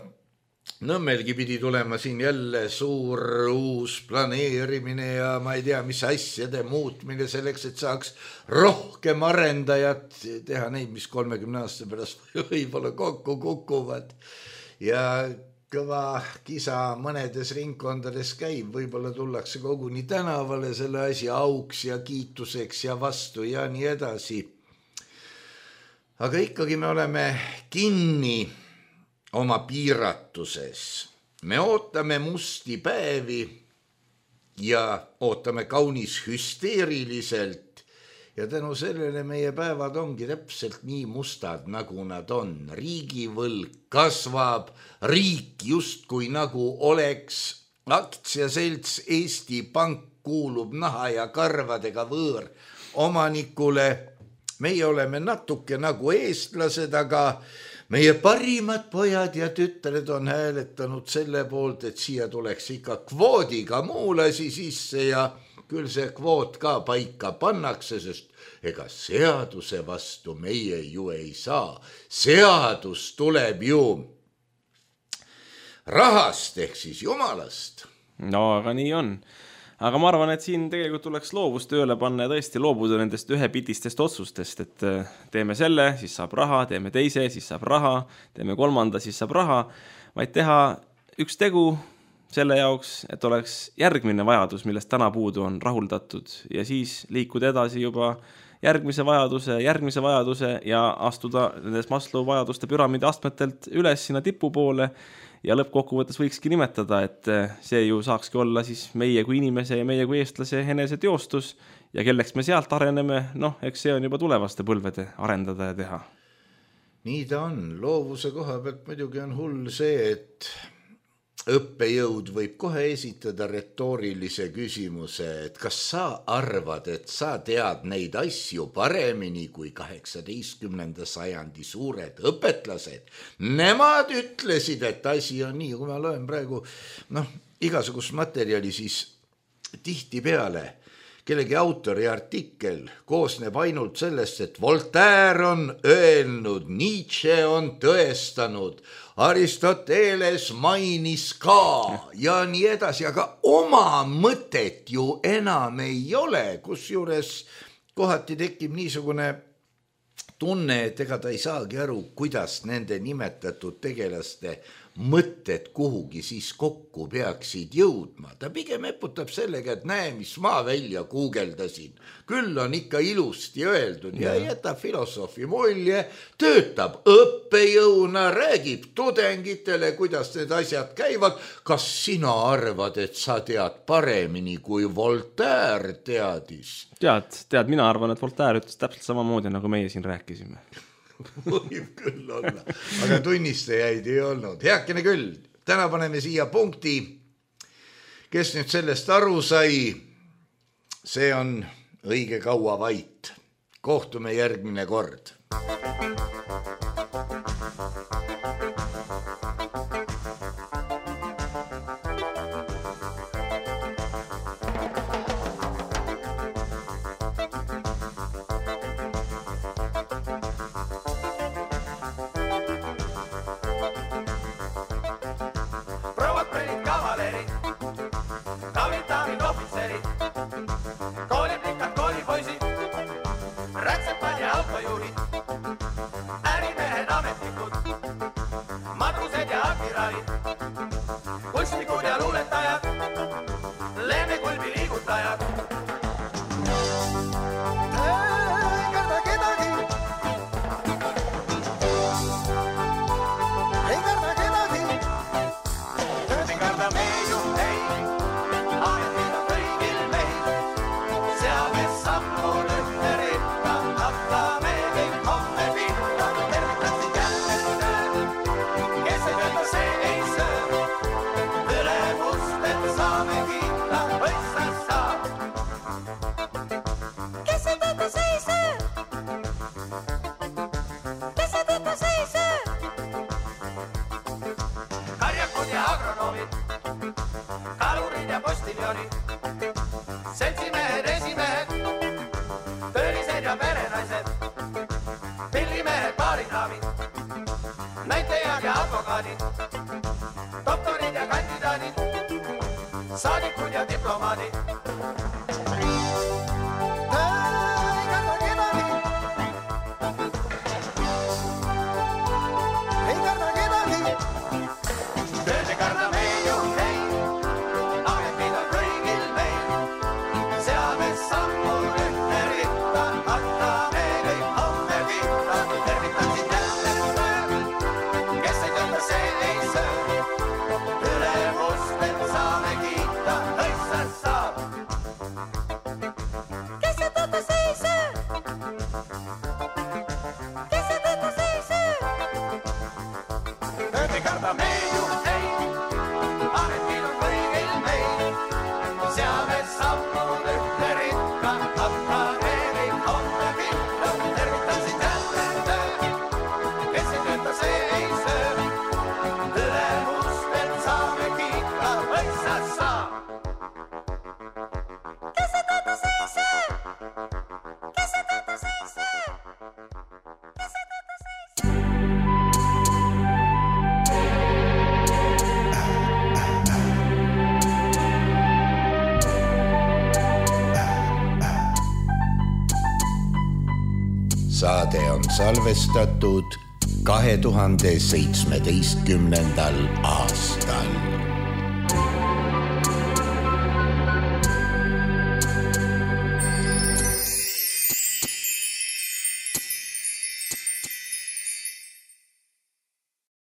Nõmmelgi pidi tulema siin jälle suur uus planeerimine ja ma ei tea, mis asjade muutmine selleks, et saaks rohkem arendajat teha neid, mis kolmekümne aasta pärast võib-olla kokku kukuvad. Ja kõva kisa mõnedes ringkondades käib, võib-olla tullakse koguni tänavale selle asja auks ja kiituseks ja vastu ja nii edasi. Aga ikkagi me oleme kinni oma piiratuses. Me ootame musti päevi ja ootame kaunis hüsteeriliselt ja tänu sellele meie päevad ongi täpselt nii mustad, nagu nad on. Riigivõlg kasvab, riik justkui nagu oleks aktsiaselts Eesti Pank kuulub naha ja karvadega võõr omanikule. Meie oleme natuke nagu eestlased, aga meie parimad pojad ja tütred on hääletanud selle poolt, et siia tuleks ikka kvoodiga muulasi sisse ja küll see kvoot ka paika pannakse, sest ega seaduse vastu meie ju ei saa. Seadus tuleb ju rahast ehk siis jumalast. No aga nii on. Aga ma arvan, et siin tegelikult tuleks loovust tööle panna ja tõesti loobuda nendest ühepitistest otsustest, et teeme selle, siis saab raha, teeme teise, siis saab raha, teeme kolmanda, siis saab raha, vaid teha üks tegu selle jaoks, et oleks järgmine vajadus, millest täna puudu on rahuldatud ja siis liikuda edasi juba järgmise vajaduse, järgmise vajaduse ja astuda nendes Maslow vajaduste püramiidi astmetelt üles sinna tipu poole. Ja lõppkokkuvõttes võikski nimetada, et see ju saakski olla siis meie kui inimese ja meie kui eestlase enese teostus ja kelleks me sealt areneme, noh, eks see on juba tulevaste põlvede arendada ja teha. Nii ta on. Loovuse koha pealt muidugi on hull see, et õppejõud võib kohe esitada retoorilise küsimuse, et kas sa arvad, et sa tead neid asju paremini kui kaheksateistkümnenda sajandi suured õpetlased. Nemad ütlesid, et asi on nii, kui ma loen praegu noh, igasugust materjali, siis tihti peale kellegi autori artikkel koosneb ainult sellest, et Voltaire on öelnud, Nietzsche on tõestanud, Aristoteles mainis ka ja nii edasi, aga oma mõtet ju enam ei ole, kusjuures kohati tekib niisugune tunne, et ega ta ei saagi aru, kuidas nende nimetatud tegelaste mõtted kuhugi siis kokku peaksid jõudma. Ta pigem eputab sellega, et näe, mis ma välja guugeldasin. Küll on ikka ilusti öeldud ja jätab filosoofi mulje, töötab õppejõuna, räägib tudengitele, kuidas need asjad käivad. Kas sina arvad, et sa tead paremini kui Voltaire teadis? Tead, tead, mina arvan, et Voltaire ütles täpselt samamoodi, nagu meie siin rääkisime. Võib küll olla, aga tunnistajaid ei olnud. Heakene küll, täna paneme siia punkti. Kes nüüd sellest aru sai, see on õige kaua vait. Kohtume järgmine kord. Rätsepad ja autojuhid, ärimehed saadikud ja diplomaadid. Saade on salvestatud kahe tuhande seitsmeteistkümnendal aastal.